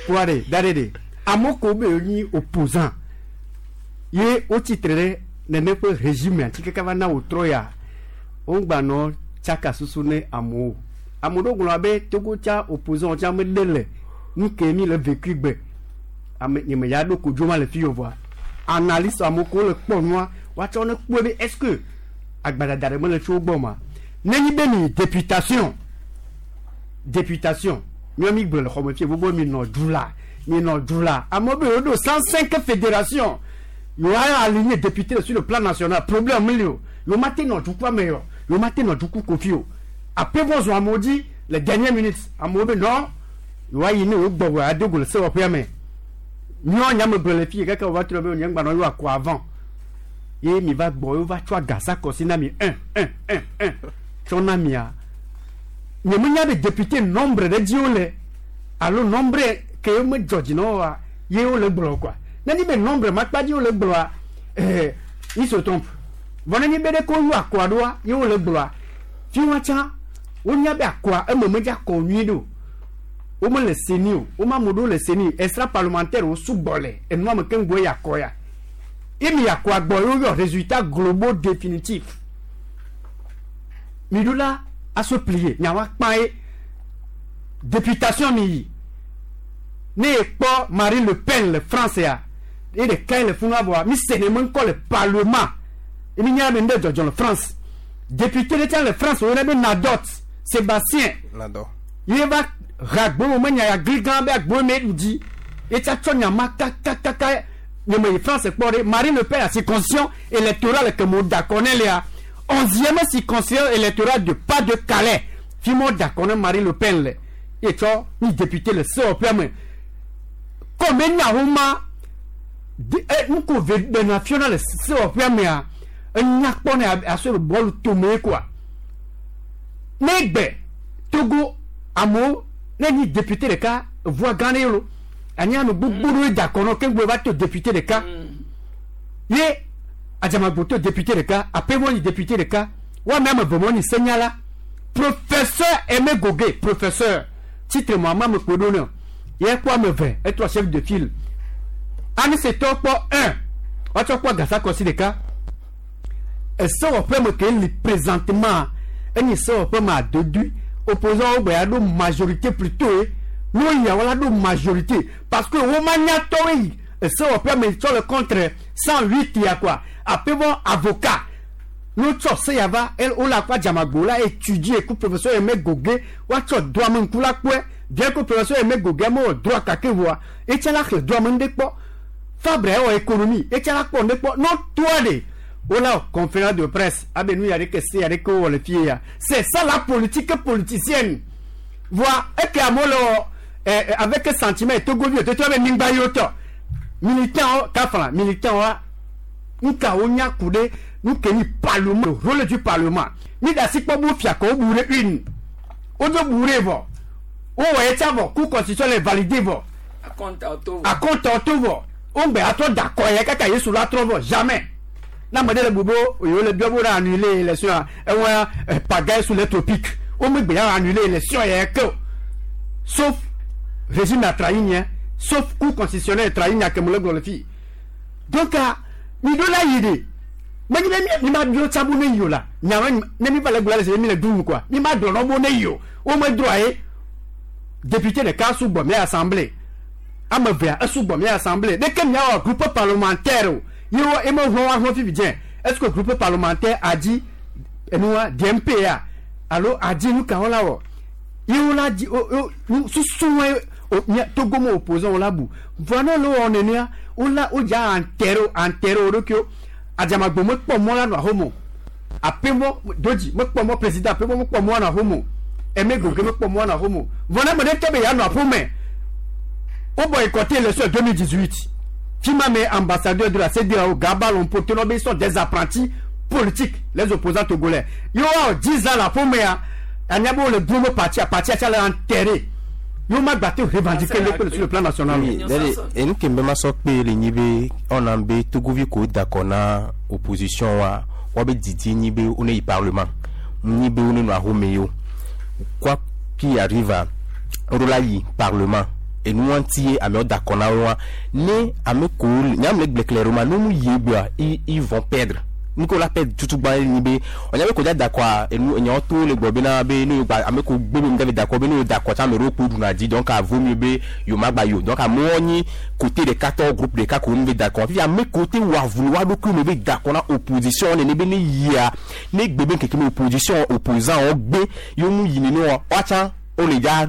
Speaker 20: Kuare da de de amewo ko be nyi opposant ye wotsi tre ɖe nene ƒe régime ati keke va na wòtrɔ ya wogbanɔ tsaka susu ne amewo ame ɖewo gblɔ be Togo tsa opposant tsa meɖe le nu ke mi le vécu gbe ame nye me ya ɖo kodzo ma le fi o vɔa analyste amewo ko le kpɔ nua woatsɔ ne kpɔe be est ce que agbadada ɖe mele tso wo gbɔ ma nenyi be mi députation miɔ mi gblɔ le xɔme fie gbogbo mi nɔ du la mi nɔ du la amewo be yewo ɖo 105 fédération yewo aligné député sur le plan national problème mi li o yewo ma te nɔ dukua me yɔ yewo ma te nɔ duku kofi o après vɔ zɔn amewo dzi les dernières minutes amewo be nɔ yewoa yi ne yewo gbɔ wɔ adogo le sewɔƒea me miɔ nyame gblɔ le fie keke wova trɔ be nye ŋgba nɔ yewo akɔ avant ye mi va gbɔ yewo va tsɔ agasa kɔsi na mi 1 1 1 1 tsɔ na mia nye me nya be député nombre ɖe dzi wole alo nombre ke ye me dzɔ dzi na woa ye wole gblɔ quoi nenye be nombre ma kpa dzi wole gblɔa il se trompe vɔ nenye be ɖe ko yɔ akɔa ɖoa ye wole gblɔa fi wa tsã wonya be akɔa eme medza kɔ nyuie ɖo Wome le CENI o, wome ame ɖewo le CENI, extra parlementaire wo sugbɔ le enua me keŋ gbɔ ya kɔ ya. Ye mi ya kɔa gbɔ ye woyɔ résultat globaux définitif. Mi ɖo la aso plier, nyawa kpa ye. Députation mi yi. Ne ekpɔ Marine Le Pen le France ya, ye ɖeka ye le funu vɔa, mi se ne me ŋkɔ le parlement. Ye mi nya be ŋɖe dzɔdzɔ le France. Député ɖe tsã le France woyɔna be Nadot Sébastien.
Speaker 2: Nadot.
Speaker 20: Ye va ha agbo me nya ya gli gã be agbo me ɖu dzi. Ye tsa tsɔ nya ma kakakaka nye me yi France kpɔ ɖe Marine Le Pen la circonscription électorale ke mo d'accord ne lea. 11e circonscription électorale de Pas-de-Calais. Fi mo d'accord ne Marine Le Pen le. Ye tsɔ ni député le sewɔƒea me. Comme enya wo ma de nuko ve ɖena fiona le sewɔƒea mea, enya kpɔ ne aso le bɔlu tome quoi. Ne gbe Togo amewo ne nyi député ɖeka voix gã ɖe lo. Anyi ame gbogbo ɖewo d'accord nɔ keŋ va to député ɖeka. Ye Adzamagbo to député ɖeka, Apevɔ nyi député ɖeka, woame ame eve mo nyi senyala. Professeur Aimé Gogué, professeur, titre mo ame ame kpo ɖo ne. Ye kpɔ ame eve, etrɔ chef de file. Anisetɔ kpɔ 1, woatsɔ kpɔ Gasakɔsi ɖeka. Esewɔƒe me ke li présentement, enyi sewɔƒe me adodui, opposant wo gbe ya ɖo majorité plutôt ye. Ne woyia wola ɖo majorité parce que wo manyatɔwoe yi esewɔƒe me tsɔ le contre 108 ya quoi. Apevɔ avocat ne wotsɔ se ya va, wole akpa Adzamagbo la étudier ku professeur Aimé Gogué, woatsɔ droit me ŋku la kpɔe. Bien que professeur Aimé Gogué mewɔ droit kake vɔa, etsa la xlẽ droit me ŋɖe kpɔ. Fabre ewɔ économie, etsa la kpɔ ŋɖe kpɔ. Ne wotoa ɖe, wola wɔ conférence de presse, abe nu ya ɖeke se ya ɖeke wowɔ le fie ya. C'est ça la politique politicienne. Voa, eke amewo le wɔ, avec sentiment Togovi, toto abe nyigba yi wotɔ. Militant wo, kafla, militant wa, nuka wonya ku ɖe nu ke nyi parlement, le rôle du parlement. Mi ɖe asi kpɔ be wofia kɔ wo bu ɖe une. Wodo bu ɖe vɔ. Wowɔ ye tsa vɔ, cour constitutionnelle validé vɔ.
Speaker 1: Akɔnta to vɔ.
Speaker 20: Akɔnta to vɔ. Wogbe atrɔ da kɔ ye kaka Yesu la trɔ vɔ. Jamais. Na ame ɖe le bu be yewo le biɔ be wo annuler élection ya, ewɔa pagaille sous les tropiques. Wo megbe ya annuler élection ya ke o. Sauf régime a trahi nye, sauf cour constitutionnelle trahi nya ke me le gblɔ le fi. Donc, mi ɖo la yi ɖe. Menye be mi ma biɔ tsa bo ne yi o la. Nya ma ne mi va le gblɔ le se mi le ɖu nu quoi. Mi ma gblɔ nɔ bo ne yi o. Wo me droit ye. Député ɖeka sugbɔ mia assemblée. Ame evea esugbɔ mia assemblée. Ɖeke mia wɔ groupe parlementaire o. Ye wo eme hlɔ̃ wa hlɔ̃ fifi dze. Est-ce que groupe parlementaire a dzi enua DMP ya alo a dzi nu ka wo la wɔ? Ye wo la dzi o o nu susu wa o mia Togo me opposant wo la bu. Vɔa ne wo le wɔ nenea, wo la wo dza enterrer enterrer wo ɖokuiwo. Adzamagbo mekpɔ mɔ la nɔ ahome o. Apemɔ dodzi mekpɔ mɔ président Apemɔ mekpɔ mɔ nɔ ahome o. Aimé Gogué mekpɔ mɔ nɔ ahome o. Vɔ ne ame ɖe tɔ be yeanɔ aƒeme, wo boycotté élection 2018. Fima me ambassadeur de la CEDEAO Gaba Lompo tonɔ be ils sont des apprentis politiques, les opposants togolais. Ye woawɔ 10 ans le aƒemea, anya be wole gros parti, parti tsa le enterré. Yo ma gba te revendiquer le sur le plan national.
Speaker 2: Oui, dale, enu ke mbe ma sɔ kpe le nyi be ɔna be Togovi ko d'accord na opposition wa, wa be didi nyi be wo ne yi parlement, nyi be wo ne nɔ ahome yo. Quoi qu'il arrive, wo ɖo la yi parlement. Enu wa ŋuti ye amewo d'accord na wo wa. Ne ame ko nya me le gblẽ clairement, ne mu yi egbea, ils vont perdre. Nu ke wo la perdre tutu gbã ye nyi be, ɔnya be ko dza d'accord enu enyawo to le gblɔ bena be ne gba ame ko gbe be mu dza be d'accord be ne wo d'accord tsa ame ɖewo kpo ɖuna dzi, donc vaut mieux be yewo ma gba yi o. Donc amewo nyi côté ɖeka tɔ groupe ɖeka ko mu be d'accord. Fifia ame ko te wɔ avu le woa ɖokui me be d'accord na opposition nene be ne yia, ne gbe be ŋkeke me opposition opposant wo gbe yewo mu yi nene oa, woatsã wo le dza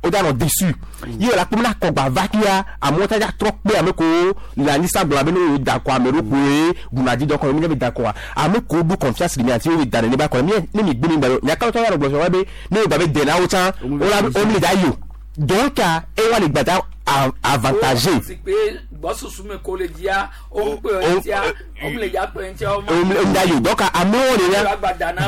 Speaker 2: wo dza nɔ déçu. Ye la kpɔ be na kɔgba va fia, amewo tsa dza trɔ kpe ame kowo le anyi sa gblɔ be ne wo d'accord ame ɖewo koe ɖuna dzi donc mi dza be d'accord. Ame kowo ɖo confiance le mia ŋuti wo be da nene be akɔ ne mi gbe mi gba nya ka tɔ ya gblɔ fia be ne wo gba be de na wo tsã wo la wo mi le dza yi o. Donc ewa le gba dza avantagé.
Speaker 1: Gbɔsusu me ko le dzia, wo kpe ŋutia, wo le dza kpe ŋutia, wo
Speaker 2: ma. O da yo. Donc amewo le ya.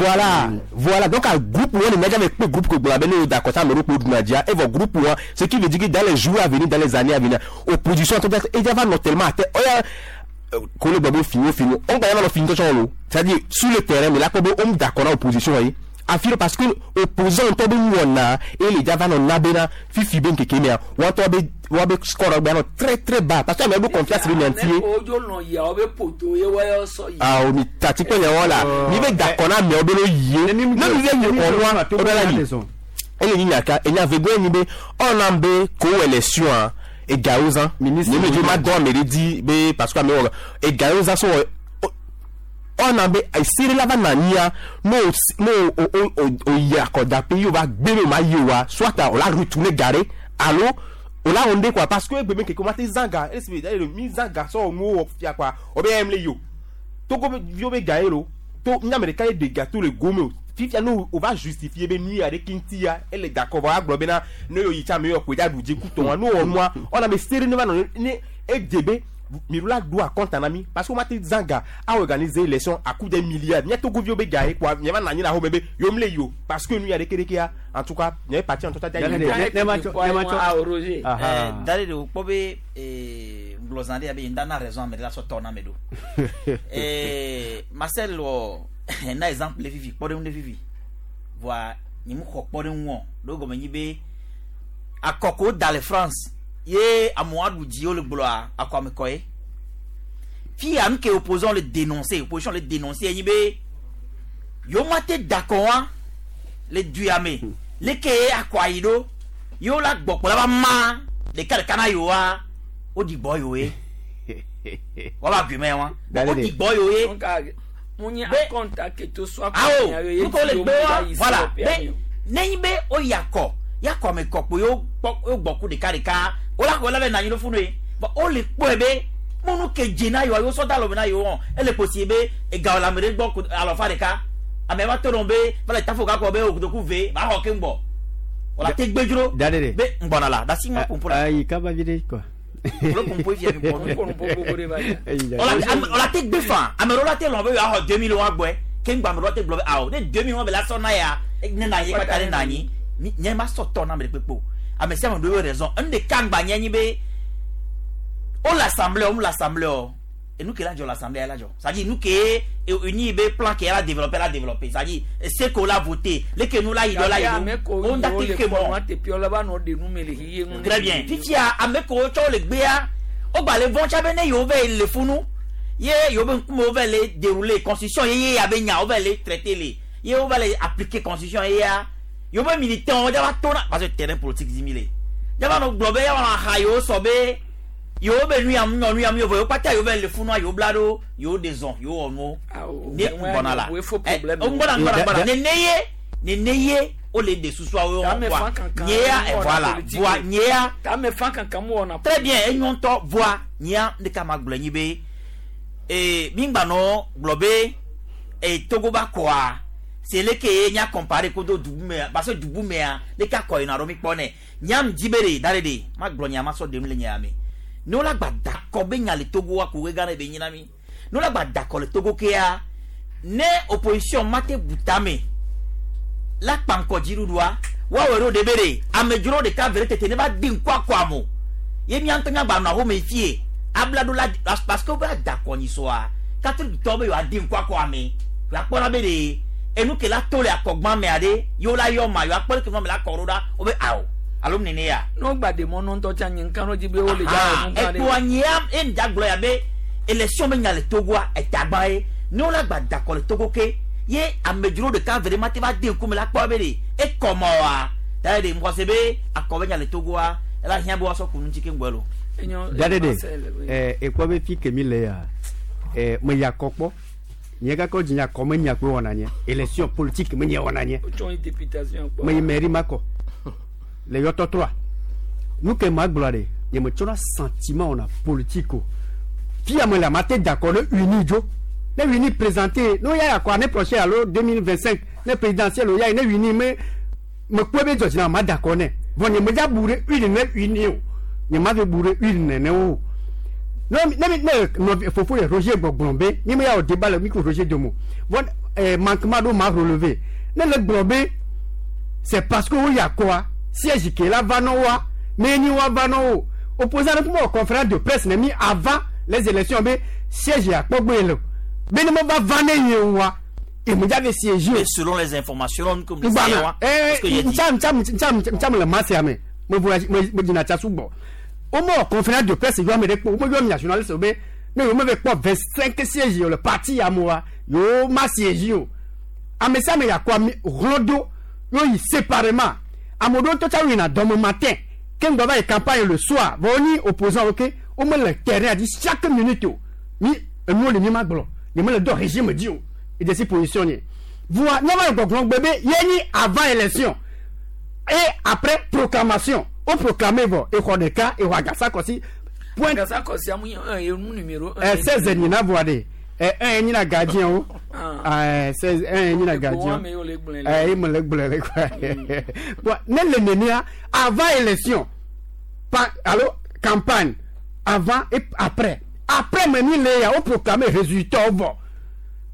Speaker 2: Voilà, voilà. Donc groupe wo le mia dza be kpe groupe ko gblɔ be ne wo d'accord tsa ame ɖewo kpo ɖuna dzia. Evɔ groupe wa, ce qui veut dire que dans les jours à venir, dans les années à venir, opposition tɔ dza edza va nɔ tellement à terre. Oya ko le gblɔ be fini fini. On gba ya va nɔ fini tɔtsɔ lo. C'est-à-dire sur le terrain, mais la kpɔ be wo d'accord na opposition ye. Afi ɖe parce que opposant ŋutɔ be nuwɔna eye le dza va nɔ na bena fifi be ŋkeke mea woatɔ be woabe score gbe anɔ très très bas parce que amewo ɖo confiance ɖe mia ŋuti ye.
Speaker 1: Ne wodzo lɔ̃ yia wobe poto ye woayɔ sɔ yi.
Speaker 2: Awo mi tati kple nyawo la mi be da kɔ na amewo be no yie ne mi be yi kɔnua wo be la yi ele nyi nya ka enya vegoe nyi be ɔna be ko élection egawo zã nye me dzo ma dɔn ame ɖe dzi be parce que amewo wɔ egawo zã so wɔ ɔna be esi la va na anyia ne o ne o o o o yi akɔdaƒe ye o va gbe be o ma yi oa soit o la retourner ga ɖe alo o la wɔ nu ɖe quoi parce que egbe be ŋkeke o ma te zã ga esi be eye mi zã ga sɔ wɔ nuwo wɔ fia quoi o be eya le yi o Togo be viwo be ga ye lo to nya ame ɖeka ye ɖe ga to le gome o fifia ne o va justifier be nu ya ɖeke ŋuti ele d'accord vɔ agblɔ bena ne yo yi tsa ame yɔ koe dza ɖu dzi ku tɔa ne wɔ nua ɔna be se ɖe ne va nɔ ne edze be mi ɖo la ɖo akɔnta na mi parce que wo ma te zã ga a organiser élection à coup de milliards mía Togoviwo be ga ye kpoa mia va nɔ anyi le axome be yewo mle yi o parce que nu ya ɖeke ɖekea en tout cas nye parti ŋutɔ tsa dza yi.
Speaker 20: Ne ma tsɔ ne ma tsɔ
Speaker 4: Ah, Roger. Da ɖe ɖe wòkpɔ be ŋgblɔ zã ɖe ya be yi ŋda na raison ame ɖe la sɔ tɔ na ame ɖo. Marcel wɔ na exemple le fifi kpɔɖeŋu ɖe fifi. Vɔa nye mu xɔ kpɔɖeŋu o. Ɖo gɔme nyi be akɔ ko da le France ye amewo aɖu dzi wole gblɔa akɔ ame kɔ ye. Fia nu ke opposant le dénoncer, opposition le dénoncer enyi be yewo mate da akɔ wa le du ya me. Leke ye akɔ ayi ɖo yewo la gbɔ kpɔ la va ma ɖeka ɖeka na yewoa woɖi gbɔ yewo ye. Woava gui me wa. Woɖi gbɔ yewo ye.
Speaker 1: Munye akɔnta ke to so akɔ
Speaker 4: Awo,
Speaker 1: nya ye
Speaker 4: nu ko le
Speaker 1: yewo
Speaker 4: gbe wa,
Speaker 1: mu yi
Speaker 4: voilà.
Speaker 1: COP
Speaker 4: Be
Speaker 1: ami o.
Speaker 4: nenyi be woyi akɔ, ya akɔ me kɔ kpo yewo kpɔ yewo gbɔ ku ɖeka ɖeka. Wola xɔ la be nanyi ɖo funu ye. Vɔ wole kpɔe be mɔnu ke dze na yewoa yewo sɔ da alɔme na yewo hã. Ele kposi be ega le ame ɖe gbɔ ku alɔfa ɖeka. Ame va to nɔ be va le tafo gakɔ be okotoku ve va xɔ keŋ gbɔ. Wola te gbedzro
Speaker 20: Da ɖe ɖe.
Speaker 4: be ŋgbɔna la ɖasi ŋma ƒoƒo la.
Speaker 20: Ayi kaba vi ɖe quoi.
Speaker 4: Wole ƒoƒo fia mi gbɔ.
Speaker 1: Ƒoƒo ɖe va yi.
Speaker 20: Eyi da
Speaker 4: Wola
Speaker 20: ɖe.
Speaker 4: ame wola te gbe fa ame ɖewo la te lɔ̃ be yewoaxɔ 2000 wa gbɔe. Keŋ gbɔ ame ɖewo la te gblɔ be awo ne 2000 wa be la sɔ na ya ne na anyi kpata ne na anyi. Mi nye ma sɔ tɔ na ame ɖe kpekpe o. Ame sia ame ɖo ye raison. Enu ɖeka ŋgba nye nyi be wole assemblée o, wole assemblée o. Enu ke la dzɔ le assemblée la dzɔ. C'est-à-dire nu ke uni be plan ke la développer la développer. C'est-à-dire ce qu'on l'a voté, le ke nu la yi ɖo la yi
Speaker 1: Gake ame
Speaker 4: ɖo.
Speaker 1: ko
Speaker 4: Wo ŋda
Speaker 1: yiwo
Speaker 4: te
Speaker 1: le
Speaker 4: ke
Speaker 1: kpɔ
Speaker 4: mɔ.
Speaker 1: nua teƒe la va nɔ ɖe nu me le xixi ŋu ne
Speaker 4: Très bien. Fifia ame kewo tsɔ le gbea, wogba le vɔ̃ tsa be ne yewo va yi le funu, ye yewo be ŋkume wova le dérouler constitution ye ye ya be nya wova le traiter le, ye wova le appliquer constitution ye ya, yewo be militant wo dza va tona parce que terrain politique dzi mi le. Dza va nɔ gblɔ be ya va nɔ aha yewo sɔ be yewo be nu ya mu nyɔ nu ya mu vɔ yewo kpata yewo va le funua yewo bla ɖo yewo ɖe zɔn yewo wɔ nuwo. Ne ŋgbɔna la.
Speaker 1: Wo fo problème.
Speaker 4: Ŋgbɔna ŋgbɔna ŋgbɔna. Nene ye nene ye wole ɖe susuawo
Speaker 1: Tame
Speaker 4: voa
Speaker 1: fan kankan
Speaker 4: nye ya
Speaker 1: mu wɔna
Speaker 4: voilà
Speaker 1: politique.
Speaker 4: voa nye ya
Speaker 1: Tame fan kankan mu wɔna.
Speaker 4: très bien enyo ŋutɔ voa nye ya ɖeka ma gblɔ nyi be mi ŋgba nɔ gblɔ be Togo ba kɔa c'est leke ye nya comparer kodo dubu mea parce que dubu mea leke akɔ yina ɖo mi kpɔ nɛ nyam dzi be ɖe da ɖe ɖe ma gblɔ nya ma sɔ ɖem le nya me ne wola gba da kɔ be nya le Togo wa ko ge gã ɖe be nyina mi ne wola gba da kɔ le Togo kea ne opposition ma te bu tame la kpankɔ dziɖuɖua woawɔe ɖo ɖe be ɖe amedzro ɖeka ve ɖe tete ne va di ŋku akɔ amo ye mía ŋutɔ míagba nɔ axome fie abla ɖo la parce que wobe ada kɔ nyi sɔa catholique tɔwo be yewoadi ŋku akɔ ame yewoakpɔna be ɖe enu ke la to le akɔgbã mea ɖe yewo la yɔ ma yewoakpɔ ɖe ke nua me la kɔ ɖo ɖa wobe awo alo nene ya.
Speaker 1: N'o gba de mɔ nɔntɔ tsa nye nka dzi be wole dza wɔ nu gã ɖe.
Speaker 4: Ekpoa nyea ye ŋdza gblɔ ya be élection be nya le Togoa etagba ye ne wola gba da kɔ le Togo ke ye amedzro ɖeka ve ɖe ma te va de ŋkume la kpɔ be ɖe ekɔmɔ wa da ye ɖe ŋkɔse be akɔ be nya le Togoa ela hiã be woasɔ ku nu ŋuti ke ŋgbɔ lo.
Speaker 20: Da ɖe ɖe ekpɔ be fi ke mi le ya me ya kɔ kpɔ nye gakɔ dzi nya kɔ me nya kpe wɔna nye élection politique me nye wɔna nye.
Speaker 1: Wotsɔ yi députation kpɔ.
Speaker 20: Me yi mairie ma kɔ le yɔtɔtrɔa nu ke ma gblɔ ɖe nye me tsɔna sentiment wɔna politique o fia me le ma te da kɔ ɖe uni dzo ne uni présenté ne ya akɔ année prochaine alo 2025 ne présidentielle o ya yi ne uni me me kpɔe be dzɔdzi na ma da kɔ nɛ vɔ nye me dza bu ɖe uni ne uni o nye ma fi bu ɖe uni nene o ne ne ne nɔvi fofo le Roger gbɔgblɔ be mi me ya wɔ débat le mi ko Roger domo vɔ manquement ɖo ma relever ne le gblɔ be c'est parce que wo ya kɔa siège ke la va nɔ wa mais ni wa va nɔ o opposant ne kuma wɔ conférence de presse ne mi avant les élections be siège ya kpɔgbe le o be ne me va va ne ye wa Emudza siège.
Speaker 4: Mais selon les informations que nous
Speaker 20: Ngbana. Eh, ntsam ntsam ntsam ntsam le masia me. Me voyage me me dina tsa sugbɔ. O mo conférence de presse yɔ ame ɖe kpɔ. O mo yɔ nationaliste be ne yo me ve kpɔ 25 sièges le parti ya moa. Yo ma siège o. Ame sia ame yakɔ ami hlɔdo yo yi séparément. Ame ɖewo tɔ tsa yina dɔme matin. Ke ŋgbɔ va yi campagne le soir. Vɔ wonyi opposant ok. Wo me le terrain dzi chaque minute o. Mi enuwo le mi ma gblɔ. Nye me le dɔ régime dzi o. Edze si position nye. Voa míava le gbɔgblɔ gbe be ye nyi avant élection et après proclamation. O proclamé vɔ exɔ ɖeka exɔ agasa kɔsi. Point.
Speaker 1: Agasa kɔsi amu ye nu numéro 1.
Speaker 20: Ɛ 16 nyina voa de. Ɛ 1 nyina gardien o. Ɛ 16 1 nyina gardien. Ɛ ye me le gblɔe le quoi. Bon ne le nenia avant élection pa alo campagne avant et après. Après me mi le ya o proclamé résultat vɔ.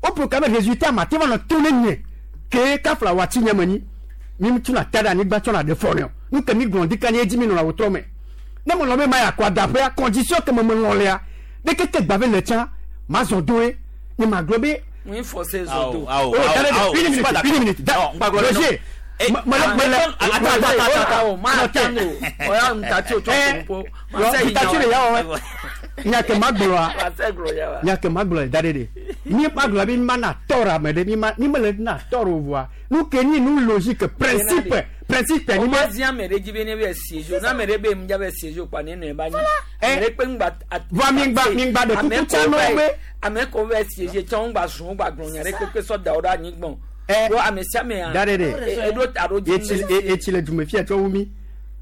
Speaker 20: O proclamé résultat ma te va nɔ to ne nye ke kafla wati nye me nyi. Mi tuna ta ɖe anyigba tsɔ na ɖe fɔ ne o. Nu ke mi gblɔ ɖika nye edzi mi nɔna wòtrɔ me. Ne me lɔ be ma yi akɔ adaƒea condition ke me me lɔ lea ɖeke ke gba be le tsã ma zɔ doe nye ma gblɔ be.
Speaker 1: Mun forcé zɔ do.
Speaker 20: Oh, attendez, une minute, une minute. Roger,
Speaker 1: Attends, attends, attends, ma attends o. Oya ntati o tsɔ ko
Speaker 20: ntati le ya wɔ. Nya ke ma gblɔa. Nya ke ma gblɔ da ɖe ɖe. Mi ma gblɔ be mi ma na tɔrɔ ame ɖe mi ma mi me le na tɔrɔ o voa. Nu ke nyi nu logique principe principe
Speaker 1: ni. O ma zi ame ɖe dzi be ne be siège o. Ne ame ɖe be ŋdza be siège o kpa ne nɔe ba nyi. Ame ɖe kpe ŋgba.
Speaker 20: Voa mi ŋgba mi ŋgba ɖe kuku tsa nɔ be.
Speaker 1: Ame ko be siège tsã ŋgba zun ŋgba gblɔ nya ɖe kpekpe sɔ da wo ɖe anyigbɔ. Ɖo ame sia amea.
Speaker 20: Da ɖe ɖe.
Speaker 1: Eɖo ta ɖo dzi.
Speaker 20: Etsi le dume fia tsɔ wu mi.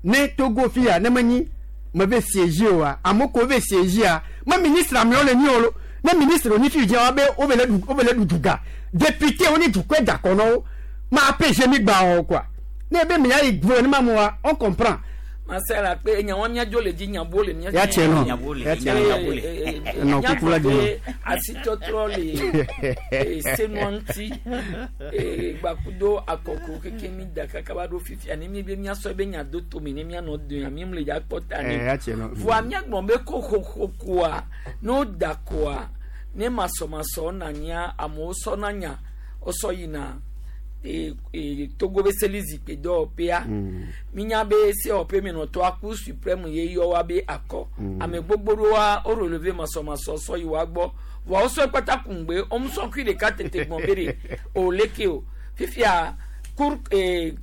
Speaker 20: Ne Togo fia ne menyi me be siège oa ame ko be siège a me ministre amewo le nyi o lo. Ne ministre wonyi fi dzi wa be wo be le ɖu wo be le ɖu duga. Député wonyi dukɔe dakɔ nɔ wo. Ma APG mi gba o quoi. Ne be mi ya yi gouvernement moa on comprend.
Speaker 1: Masala kpe enya wa miadzo le dzi nyabo le mia.
Speaker 20: Ya tiɛ nɔ. Ya tiɛ nɔ. Nɔ kuku la dzi.
Speaker 1: Asitɔtrɔ le senua ŋuti gbakudo akɔko keke mi da kaka va ɖo fifia ne mi be miasɔ be nya do tome ne mianɔ do mi le dza kpɔ ta ne.
Speaker 20: Ya tiɛ nɔ.
Speaker 1: Voa miagblɔ be ko xoxokoa ne wo da koa ne masɔmasɔ na nya amewo sɔ na nya wosɔ yina. Togo be seli zikpui dɔwɔƒea minya be sewɔƒe menɔtɔ aku suprême ye yɔ wa be akɔ ame gbogbo ɖewoa wo relevé masɔmasɔ sɔ yi wa gbɔ vɔa wosɔ kpata kungbe womusɔ kui ɖeka tete gbɔn be ɖe o leke o fifia cour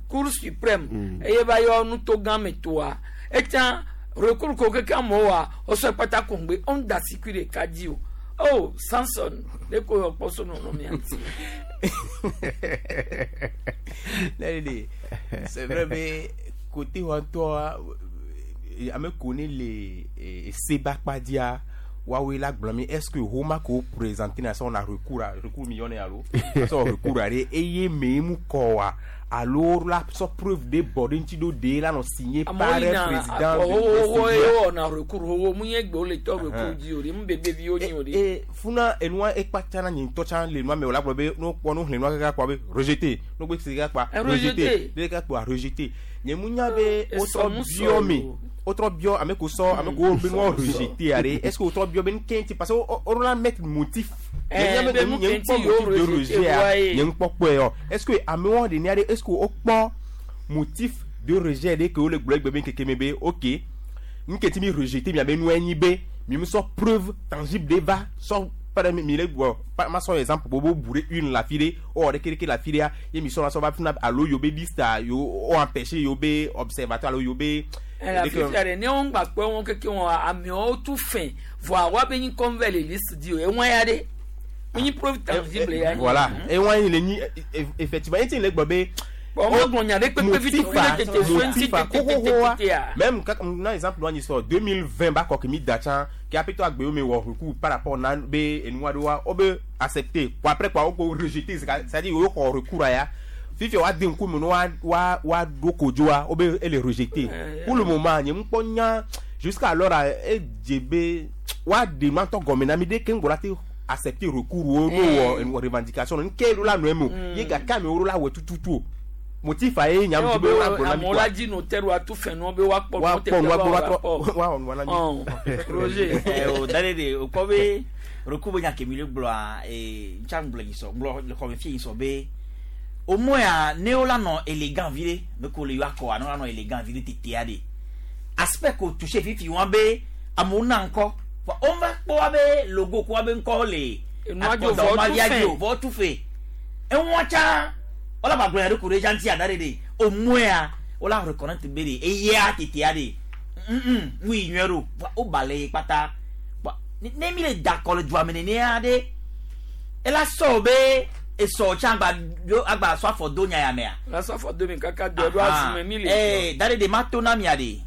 Speaker 1: cour suprême eye va yɔ nuto gã me toa etsã recours ko keke amewo wa wosɔ kpata kungbe wo da si kui ɖeka dzi o. Oh, Samson, de ko yɔ kpɔ so nɔnɔ mia ŋuti.
Speaker 2: C'est vrai, mais côté toi, ame connaît les Sebakpadia, Wawe la blâmer. Est-ce que Roma ko présenter na son recours recours millionnaire allo son recours aller eye memu kowa alors la so preuve de bordé do de la non signé par le président
Speaker 1: oh oh na recours oh mu ye gbe le to recours di ori mu bebe vi oni ori
Speaker 2: e funa enua e patana ni to chan le noa me la be no ko no le noa ka kwa be rejeté no gbe se ka kwa rejeté de ka kwa rejeté nye mu nya be o to bio mi autre bio ame ko so ame ko be no rejeté are est-ce que autre bio ben kenti parce que on la mettre motif nye motif de rejet nye nkpɔ yo est-ce que ame won de ni est-ce que o kpɔ motif de rejet de que o le gblɔ gbe ben keke mebe OK nketi mi rejeté mi abe nu enyi be mi me so preuve tangible de va so pas mi le gbo ma so exemple bobo bourré une la file o de keke la file ye mi so na so va funa alo yo be liste yo o empêcher yo be observateur alo yo be
Speaker 1: la fifia de ne won gba pe won keke won amewo tu fin voa wa be nyi convert le liste di o e won ya de nyi preuve tangible ya
Speaker 2: voilà e won le nyi effectivement e ti le gbo be
Speaker 1: bon mo gbon nya de pepe vite tete
Speaker 2: même na exemple on histoire 2020 ba ko mi dachan qui a plutôt agbe me wo recours par rapport na be enwa do wa o be accepter quoi après quoi o ko rejeter c'est-à-dire o ko recours ya fifi wa den ku mu wa wa wa do kojo wa o be ele rejeter pour le moment nye mpo nya jusqu'à alors e jebe wa demande to gomena mi de kengola te accepter recours o no revendication nke lo la no emo ye ga ka mi o la we tututu motif aye nyam ti be wa gbona mi
Speaker 1: kwa la di notaire wa tout fait no be wa
Speaker 2: po wa wa wa wa
Speaker 1: Roger
Speaker 4: o dale de o ko be Roku be nya ke mi le gblɔa ee ntsa ŋgblɔ yi sɔ ŋgblɔ le xɔme fie yi sɔ be au moins ne wola nɔ élégant vi ɖe me ko le yɔ akɔa ne wola nɔ élégant vi ɖe tetea ɖe aspect ko touché fifi wa be amewo na ŋkɔ vɔ wova kpɔ wa be logo ko wa be ŋkɔ le
Speaker 1: Enua dzo vɔ
Speaker 4: akɔdɔ
Speaker 1: tu fɛ.
Speaker 4: dzo vɔ tu fe eŋua tsã wola ba gblɔ ya ɖe ko ɖe dza ŋuti ada ɖe ɖe au moins wola reconnaître be ɖe eya tetea ɖe nu yi nyuie ɖo vɔ woba le ye kpata Vɔ ne mi le da kɔ le dua me nenea ɖe ela sɔ be esɔ tsã agba ɖo agba sɔ afɔ do nya ya mea.
Speaker 1: La sɔ afɔ do mi kaka do ɖo azume mi le.
Speaker 4: Ee da ɖe ɖe ma to na mia ɖe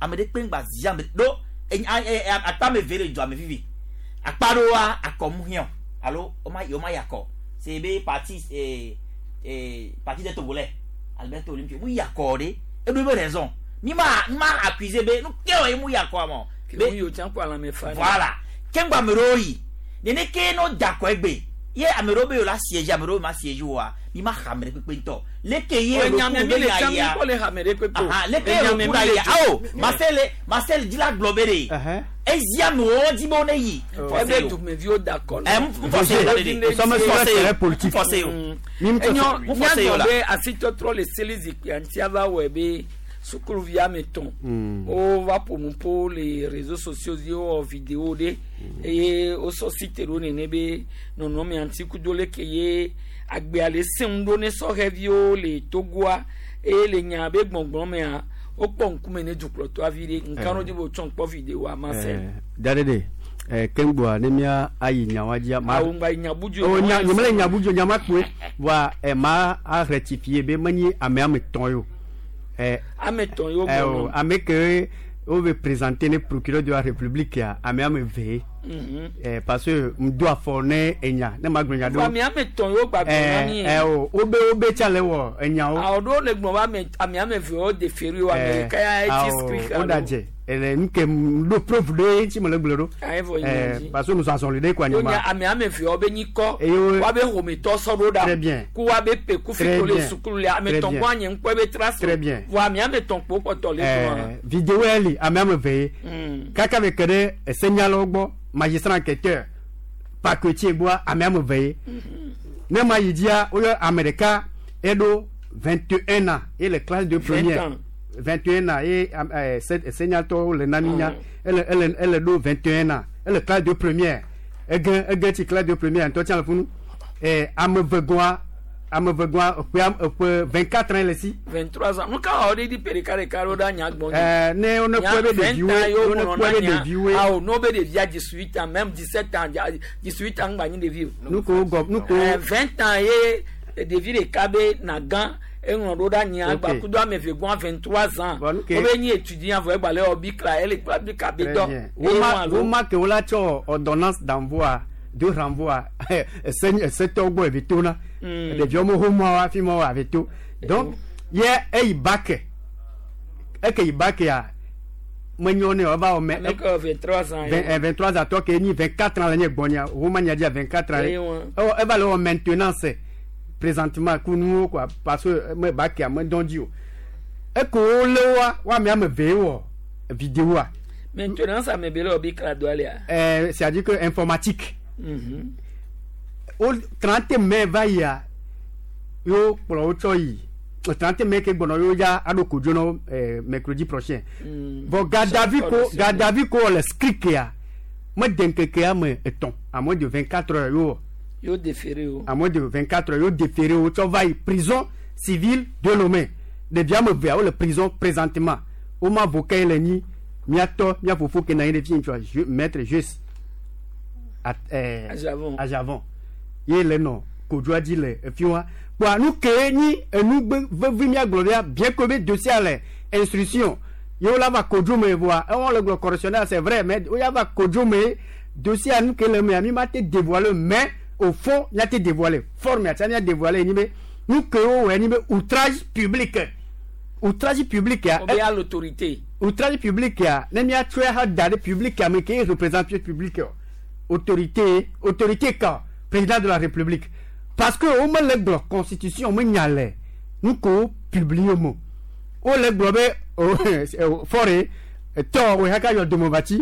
Speaker 4: ame ɖe kpe ŋgba zi ame ɖo akpa me ve le dua me vivi akpa ɖoa akɔ mu hiã alo woma woma yi akɔ c'est be parti ee ee parti des Togolais Alberto Olympio mu yi akɔ ɖe eɖo ebe raison mi ma mi ma accusé be nu ke wɔ ye mu yi akɔa mɔ.
Speaker 1: Ke mu yi o tsã kɔ alãme fa.
Speaker 4: Voilà ke ŋgba ame ɖewo yi nene ke no da akɔ egbe ye ame ɖewo be yewo la siège ame ɖewo ma siège oa mi ma xa ame ɖe kpekpe ŋutɔ leke ye
Speaker 1: Ɔ, enya me
Speaker 4: roku
Speaker 1: mi
Speaker 4: be
Speaker 1: le
Speaker 4: nya
Speaker 1: tsã mi
Speaker 4: yia
Speaker 1: kpɔ le hame ɖe kpekpe o.
Speaker 4: Aha, leke ye
Speaker 1: Enya me
Speaker 4: roku
Speaker 1: mi
Speaker 4: la
Speaker 1: le
Speaker 4: yia
Speaker 1: dzo.
Speaker 4: awo Marcel Marcel dzi la gblɔ be ɖe ezi amewo dzi be wo ne yi.
Speaker 1: Ebe dumeviwo da akɔ
Speaker 4: Ɛ, m forcé o,
Speaker 1: Ɛ,
Speaker 4: m forcé o.
Speaker 1: Enyɔ
Speaker 4: M forcé o
Speaker 1: nyagblɔ
Speaker 4: la.
Speaker 1: be asitɔtrɔ le seli zikpuia ŋuti ava wɔe be sukuluvi ame etɔ̃ wova ƒo nu ƒo le réseaux sociaux dzi wowɔ vidéo ɖe eye wosɔ site ɖo nene be nɔnɔmea ŋuti kudo leke ye agbea le sẽŋu ɖo ne sɔhɛviwo le Togoa eye le nya be gbɔgblɔ mea wokpɔ ŋkume ne dukplɔtɔa vi ɖe nka ɖo dzi be wotsɔ ŋkpɔ vidéoa ma se.
Speaker 20: Da ɖe ɖe keŋgbɔa ne mía ayi nyawa dzia.
Speaker 1: Awo ŋgba yi nyabudzo.
Speaker 20: O nya nye mele nyabudzo nyama kpoe voa ma a rectifier be menye ame ame etɔ̃ ye o.
Speaker 1: Ame etɔ̃ ye wo
Speaker 20: O
Speaker 1: gblɔ.
Speaker 20: ame ke wo be présenter ne procureur de la république ya ame ame eve ye. Parce que ŋdo afɔ ne enya ne ma gblɔ nya
Speaker 1: Vɔ ame ame etɔ̃ ye wo gba gblɔ na mí.
Speaker 20: O wobe wobe tsa le wɔ enyawo.
Speaker 1: Awo ɖewo le gblɔ be ame ame eve wo déféré wo ame ɖeka ya etsi script
Speaker 20: o da dze ele nu ke ŋdo preuve ɖe ŋuti mele gblɔ ɖo.
Speaker 1: Ayi vɔ yi nya dzi.
Speaker 20: Parce que nusɔsɔ li ɖe ko
Speaker 1: Wonya
Speaker 20: anyigba.
Speaker 1: ame ame eve wo be nyikɔ
Speaker 20: Eye wo-
Speaker 1: woabe ƒometɔ sɔ ɖo ɖa
Speaker 20: Très bien.
Speaker 1: ku woabe pe ku fi
Speaker 20: Très
Speaker 1: to le
Speaker 20: bien.
Speaker 1: sukulu le ame
Speaker 20: Très
Speaker 1: etɔ̃
Speaker 20: bien.
Speaker 1: kpɔ anye ŋkpɔ ebe trace
Speaker 20: Très bien.
Speaker 1: vɔ ame ame etɔ̃ kpo kpɔtɔ le gblɔa.
Speaker 20: Vidéo ya li ame ame eve ye. Kaka be ke ɖe esenyalawo gbɔ magistrat enquêteur parquetier gbɔa ame ame eve ye. Ne ma yi dzia woyɔ ame ɖeka eɖo 21 ans ye le classe de
Speaker 1: 20
Speaker 20: première.
Speaker 1: ans.
Speaker 20: 21 ans ye senyatɔwo le na mi nya ele ele ele ɖo 21 ans ele classe de première ege ege tsi classe de première ŋutɔ tsã le funu ame eve gɔa ame eve gɔa eƒe eƒe 24 ans le si.
Speaker 1: 23 ans nu ka wɔ ɖe di pe ɖeka ɖeka ɖo ɖe anya gbɔn
Speaker 20: Ne wo ne kpɔe be ɖeviwoe wo ne kpɔe be ɖeviwoe.
Speaker 1: awo ne wo be ɖevia 18 ans même 17 ans 18 ans ŋgba nyi ɖevi o.
Speaker 20: Nu ko gɔ nu ko.
Speaker 1: 20 ans ye ɖevi ɖeka be nagã eŋlɔ ɖo ɖe anyia
Speaker 20: Ok.
Speaker 1: gba kudo ame eve gɔa 23 ans
Speaker 20: Bon, ok.
Speaker 1: wo be nyi étudiant vɔ egba le wɔ bikla ele kpla bikla be
Speaker 20: Très
Speaker 1: dɔ.
Speaker 20: bien.
Speaker 1: Eye
Speaker 20: Woma
Speaker 1: wɔn alo-
Speaker 20: woma ke wola tsɔ ordonnance d'envoi de renvoi ese esetɔwo gbɔ eve to na. Ɖeviwo mo ho mɔ hafi mɔ ave to. Donc ye eyi bac eke yi bac ya menyɔ ne o eva wɔ mɛ.
Speaker 1: Ame ke wɔ 23 ans ye.
Speaker 20: 23 ans tɔ ke nyi 24 ans le nye gbɔnya woma nya dzia 24 ans
Speaker 1: Eye
Speaker 20: ye.
Speaker 1: wɔn.
Speaker 20: Ewɔ eva le wɔ maintenance présentement ku nuwo quoi parce que me bac ya me dɔn dzi o. Eke wo lé woa wo ame ame eve wɔ vidéo
Speaker 1: Maintenance ame be le wɔ bikla dɔ lea.
Speaker 20: C'est-à-dire que informatique o 30 mai va yia yo kplɔ wo tsɔ yi 30 mai ke gbɔnɔ yo ya aɖo kodzo nɔ mercredi prochain bon gadavi ko gadavi ko le script ya mede ŋkekea me etɔ̃ à moins de 24 heures yo wɔ
Speaker 1: Yo déféré o.
Speaker 20: à moins de 24 heures yo déféré wo tsɔ va yi prison civile de Lomé ɖevia ame evea wole prison présentement woma avocat ye le nyi miatɔ mia fofo ke na anyi ɖe fi ŋutsua maître Juste
Speaker 1: Ajavon.
Speaker 20: Ajavon ye le nɔ kodzoa dzi le efi wa kpoa nu ke nyi enu gbe vevi miagblɔ bia bien que be dossier le instruction ye wola va kodzo me voa ewɔn le gblɔ correctionnel c'est vrai mais woya va kodzo me dossier nu ke le mea mi ma te dévoiler mais au fond mia te dévoiler forme atia mia dévoiler nyi be nu ke wo wɔe nyi be outrage public outrage public ya
Speaker 1: Obéir à l'autorité.
Speaker 20: Outrage public ya ne miatsɔe ha da ɖe public ya me ke représente public o autorité autorité ka président de la république parce que wo mele gblɔ constitution me nya le nu ko wo publie mo wo le gblɔ be o fɔre tɔ wo haka yɔ domovatsi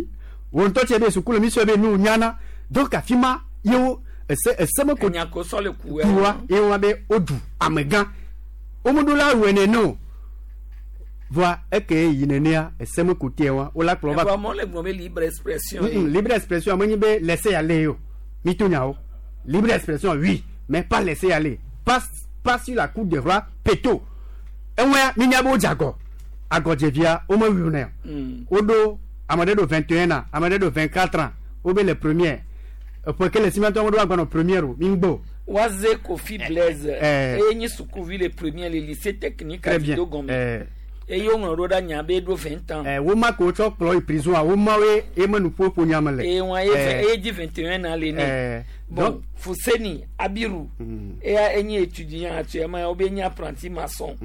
Speaker 20: wo ŋutɔ tse be sukulu mi sɔ be nu nyana Donc afi ma ye wo ese ese me ko
Speaker 1: Enya ko sɔ le ku
Speaker 20: kuwa ye wa be woɖu amegã. Womeɖo la wɔe nene o. Voa eke yi nenea ese me ko tea wa wola kplɔ va.
Speaker 1: Ɛfɔ amewo le gblɔm be libre expression.
Speaker 20: Libre expression menye be laisser aller o. Mi to nyawo. Libre expression oui, mais pas laisser aller. Pas pas sur la coupe de roi peto. Eŋua mi nya be wodze agɔ. Agɔdzevia womewui nɛ o. Woɖo ame ɖe ɖo 21 ans, ame ɖe ɖo 24 ans. Wobe le première. Eƒe ke le si miatɔ woɖo agbanɔ première o. Mi ŋgbɔ o.
Speaker 1: Waze Kofi Blaise.
Speaker 20: Eh.
Speaker 1: Eye nye sukuvi le premier le lycée technique
Speaker 20: Très bien.
Speaker 1: Adido gɔme.
Speaker 20: Eh.
Speaker 1: Eye woŋlɔ ɖo ɖa nya be eɖo 20 ans.
Speaker 20: Eh, woma ke wotsɔ kplɔ yi prison a womawoe ye me nuƒoƒo nya me le.
Speaker 1: Eye wɔn ye
Speaker 20: Eh,
Speaker 1: eye dzi 21 ans le nɛ.
Speaker 20: eh,
Speaker 1: Bon,
Speaker 20: donc
Speaker 1: Fuseni Abiru. Eya enye étudiant actuellement wobe nye apprenti maçon.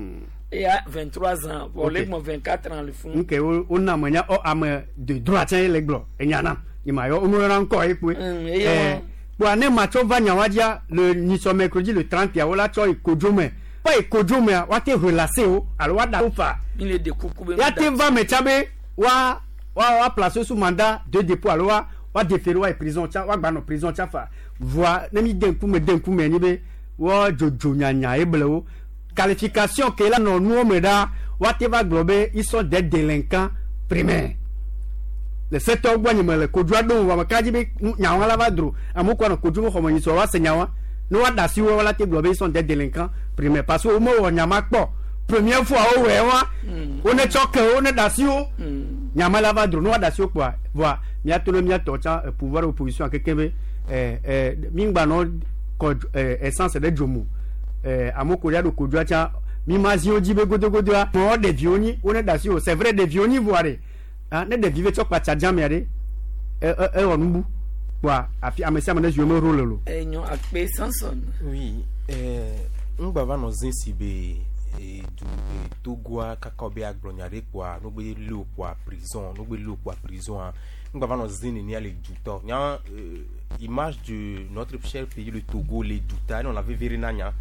Speaker 1: Eya 23 ans. Bon,
Speaker 20: Ok.
Speaker 1: le gbɔn 24 ans le fún.
Speaker 20: nke wo wona ame nya ɔ ame de droit tsɛ ye le gblɔ enya nam nye ma yɔ womeyɔna ŋkɔ ye kpoe.
Speaker 1: Eye
Speaker 20: Eh, kpoa ne matsɔ va nyawa dzia le nyisɔ mercredi le 30 wola tsɔ yi kodzo me va yi kodzo mea woate relase wo alo woaɖa wo fa.
Speaker 1: Mi le de kuku be.
Speaker 20: ya te va me tsa be wa wa wa place sous mandat de dépôt alo wa wa déféré wa yi prison tsa wa gba nɔ prison tsa fa voa ne mi de ŋkume de ŋkume nyi be wa dzodzo nyanya ye ble wo qualification ke la nɔ nuwo me ɖa wa te va gblɔ be ils sont des délinquants primaires le setɔ gbɔ nye me le kodzoa ɖom vɔ ame ka dzi be nyawa la va dro amewo kɔ nɔ kodzo me xɔme nyi sɔ wa se nyawa ne wa da asi wo la te gblɔ be ils sont des délinquants primaires parce que wo mewɔ nyama kpɔ première fois wo wɔe wa wo ne tsɔ ke wo ne da asi wo nyama la va dro ne wa da asi wo kpoa voa miato ne miatɔ tsã pouvoir opposition keke be ɛ ɛ mi ŋgba nɔ kɔ essence ɖe dzomo ɛ amewo ko ɖe ɖo kodzoa tsã mi ma zi wo dzi be godogodoa mɔ ɖeviwo nyi wo ne da asi wo c'est vrai ɖeviwo nyi voa ɖe ah ne ɖevi be tsɔ kpatsa dzamea ɖe ɛ ɛ ewɔ nubu kpoa afi ame sia ame ne zi wo me rôle lo.
Speaker 1: Enyo akpe Samson.
Speaker 2: Oui, ŋgba va nɔ zẽ si be edu Togoa kaka wo be agblɔ nya ɖe kpoa no be lé wo kpoa prison no be lé wo kpoa prison ŋgba va nɔ zẽ nenia le dutɔ nya image de notre cher pays le Togo le duta ne on avait vere na nya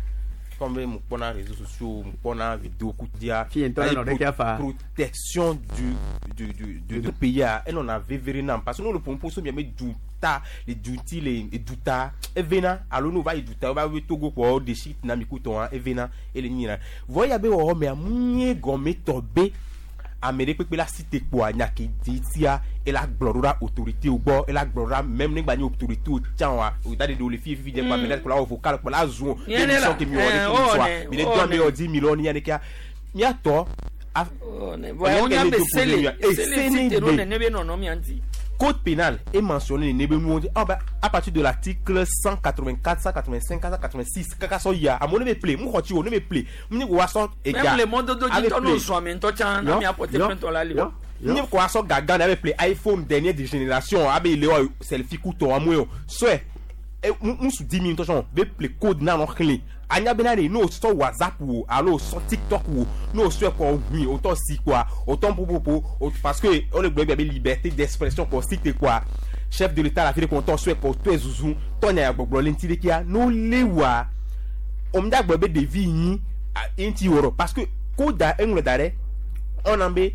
Speaker 2: comme mu kpɔna réseaux sociaux mu kpɔna vidéo kudia
Speaker 20: Fi ŋutɔ ne nɔ ɖekea fa.
Speaker 2: protection du pays a ene on avait vere na parce que nous le pompo so miame duta le duti le duta evena alo no va yi duta va be Togo kpɔ wo ɖesi na mi kutɔ evena ele nyina vɔ ya be wɔwɔ mea mu nye gɔme tɔ be ame ɖe kpekpe la si te kpoa nya ke di tia ela gblɔ ɖo ɖa autorité wo gbɔ ela gblɔ ɖo ɖa même ne gba nye autorité wo tsã wa o da de ɖe wo le fi fifi dze kpoa ame ɖe kplɔ la wɔ vocal kplɔ la zun
Speaker 1: Nye ne la,
Speaker 2: émission ke mi wɔ ɖe
Speaker 1: eh,
Speaker 2: ke mi
Speaker 1: o
Speaker 2: sɔa
Speaker 1: ne,
Speaker 2: mi le
Speaker 1: o
Speaker 2: do ame
Speaker 1: ne.
Speaker 2: yɔ di mi lɔ ni ya ne kea miatɔ
Speaker 1: Voa wonya be sele sele si te ɖo nene be nɔnɔ mia ŋuti.
Speaker 2: Code pénal est mentionné à partir de l'article 184, 185, 186. Kaka so ya, amone me play, mu xɔtsi o ne me play. Mu ni ko wa sɔ ega.
Speaker 1: Même le mɔdodo dzi
Speaker 2: Ave
Speaker 1: tɔ
Speaker 2: play.
Speaker 1: n'o zɔn ame ŋutɔ tsã na mia porter plainte la li o.
Speaker 2: Ni ko wa sɔ gaga na ave play iPhone dernière de génération, abe ile wa selfie kuto amwe o. Sɔe musu di mi ŋutɔ sɔn be play code na nɔ xlẽ. Anya bena de n'o sɔ WhatsApp wo alo sɔ TikTok wo n'o sɔe kɔ hui o tɔ si quoi o tɔ popopo o parce que o le gblɔ be liberté d'expression kɔ si te quoi chef de l'état la fi de kɔ tɔ sɔe kɔ tɔe zuzu tɔ nya gbɔgblɔ le ŋuti ɖe kia n'o le wa o mi da gblɔ be ɖevi nyi ŋuti wɔrɔ parce que ko da eŋlɔ da ɖe on en be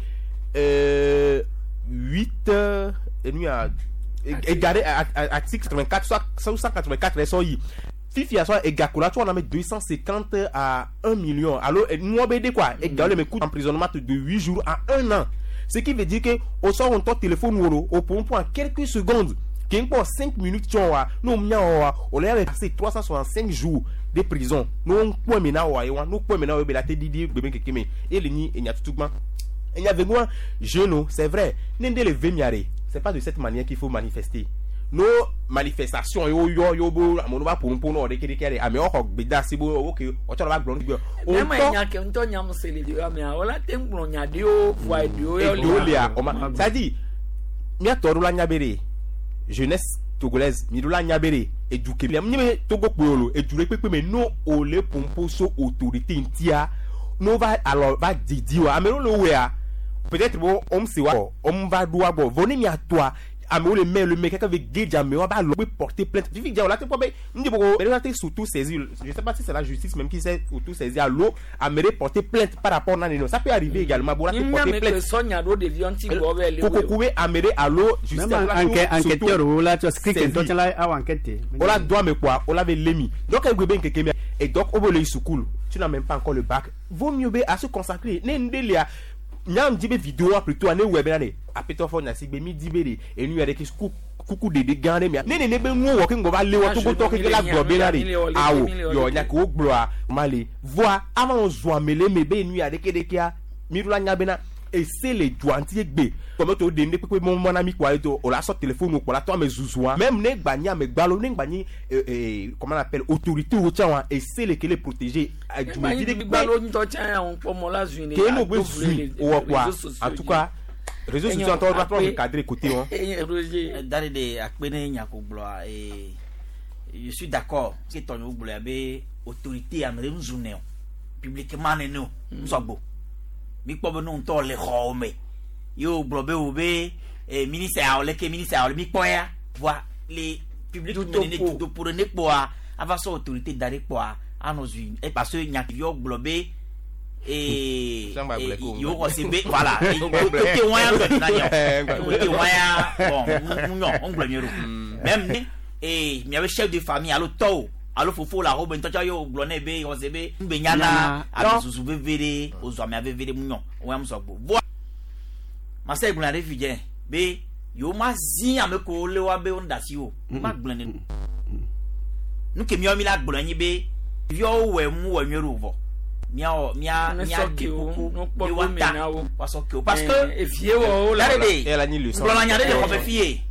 Speaker 2: 8 enu ya égaré article 84 soit 184 sɔ yi fifi sɔ egakola tso wɔna me 250 à 1 million alo nuwɔ be de quoi ega le me coup d'emprisonnement de 8 jours à 1 an ce qui veut dire que o sɔ ŋutɔ téléphone wo lo o pour en quelques secondes ke ŋkpɔ 5 minutes tsɔ wa n'o mia wɔ wa o le ya passer 365 jours de prison n'o ŋkpɔ mi na wɔ ye wa n'o kpɔ mi na wɔ ye be la te didi gbeme keke me ele nyi enya tutugba enya vegua jeune c'est vrai ne de le ve mia de c'est pas de cette manière qu'il faut manifester nos manifestations yo yo yo bo amewo va ƒo nuƒo na wɔ ɖeke ɖeke ɖe amewo xɔ gbedeasi bo ok wotsɔ va gblɔ nu gbe
Speaker 1: Ne ma nya ke ŋutɔ nyam se le ɖewo mea wola te ŋu gblɔ nya ɖewo voa ɖewo ya
Speaker 2: eɖewo lia ɔma c'est à dire míatɔ ɖo la nya be ɖe jeunesse togolaise mi ɖo la nya be ɖe edu ke mi be Togo kpoe o lo edu ɖe kpekpe me no o le ƒoƒo so autorité ŋutia no va alɔ va didi wa ame ɖewo le wɔa peut-être bo wɔm si wa wɔm va ɖo wa gbɔ vɔ ne miatɔa amewo le mail le me kaka ve gedze amewo aba lɔ be porter plainte fifi dza o la te kpɔ be n dze boko la te surtout saisir, je sais pas si c'est la justice même qui s'est auto saisi alo ame ɖe porter plainte par rapport na nene, ça peut arriver également bo la te porter plainte.
Speaker 1: Sɔnya ɖo ɖeviwo ŋuti gbɔ be le
Speaker 2: kokoku be ame ɖe alo justice
Speaker 20: Même
Speaker 2: la
Speaker 20: enquêteur wo la tsɔ script ŋutɔ tsã la awɔ enquête.
Speaker 2: O la do ame kpoa o la be lé mi, donc egbe be nkeke mia et donc o be le yi sukulu, tu n'as même pas encore le bac, vaut mieux be à se consacrer ne ŋɖe lia nyam di be vidéo plutôt ane wɔ bena de apetɔ fɔ nyasigbe mi di be de enu ya de ke kuku ɖeɖe gã ɖe mia ne nene be nuwo wɔ ke ŋgɔ va lé wɔ togotɔ keke la gblɔ bena de awo yɔ nya ke wo gblɔa ma le voa avant wo zɔ ame le me be enu ya ɖeke ɖekea mi ɖo la nya bena ese le dua ŋuti egbe kɔmɛ to de ne kpekpe mɔ na mi kɔa to o la sɔ téléphone kɔ la tɔ ame zuzua même ne gba nyi ame gbalo ne gba nyi comment on appelle autorité wo tsã wa ese le ke le protéger
Speaker 1: dumevi ɖe gbalo ŋutɔ tsã ya ŋu kpɔ mɔ la zui ne
Speaker 2: ke no gbe zui wɔ quoi, en tout cas réseaux sociaux ŋutɔ doit trop recadrer côté wɔn.
Speaker 4: Dari de akpe ne nyako gblɔa, je suis d'accord ce tɔnyewo gblɔa be autorité ame ɖe ŋu ne o publiquement nene o ŋusɔgbo mi kpɔ be nu ŋutɔ le xɔwo me ye wo gblɔ be wo be ministre yawo leke ministre yawo le mi kpɔ ya voa le public me nene dutoƒo ɖe ne kpɔa ava sɔ autorité da ɖe kpɔa anɔ zui parce que nyaviwo gblɔ be yewo xɔ se be voilà côté wɔn ya gblɔ na nyɔ côté wɔn ya bon ŋu nyɔ ŋu gblɔ nyuie ɖo même ne miabe chef de famille alo tɔwo alo fofo la wo be ŋutɔtsɔ ye wo gblɔ nɛ be xɔ se be ŋu be nyana ame susu veve ɖe wozɔ amea veve ɖe ŋu nyɔ wɔn ya mu sɔgbɔ voa masa gblɔ ɖe fi dze be yewo ma zi ame ko le wa be wo da si o ma gblɔ ne nu ke miawo mi la gblɔ nyi be viawo wɔ mu wɔ nyuie ɖo vɔ miawo mia mia di kuku be wa ta wa sɔ ke o parce que
Speaker 1: evie wɔ wo
Speaker 4: la de gblɔ la nya ɖe le xɔme fi ye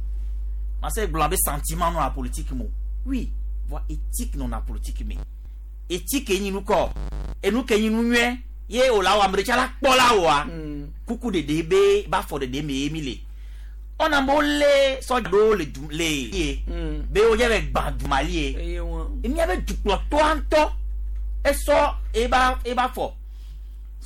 Speaker 4: masa gblɔ be sentiment nɔ la politique mo oui voa éthique nɔ na politique me éthique nyi nu kɔ enu ke nyi nu nyuie ye o la wɔ ame ɖe la kpɔ la wɔa kuku ɖeɖe be ba fɔ ɖeɖe me ye mi le ɔna mo le sɔdza le du le ye be wo dze be gbã dumali ye mía be dukplɔtɔa ŋutɔ esɔ eba fɔ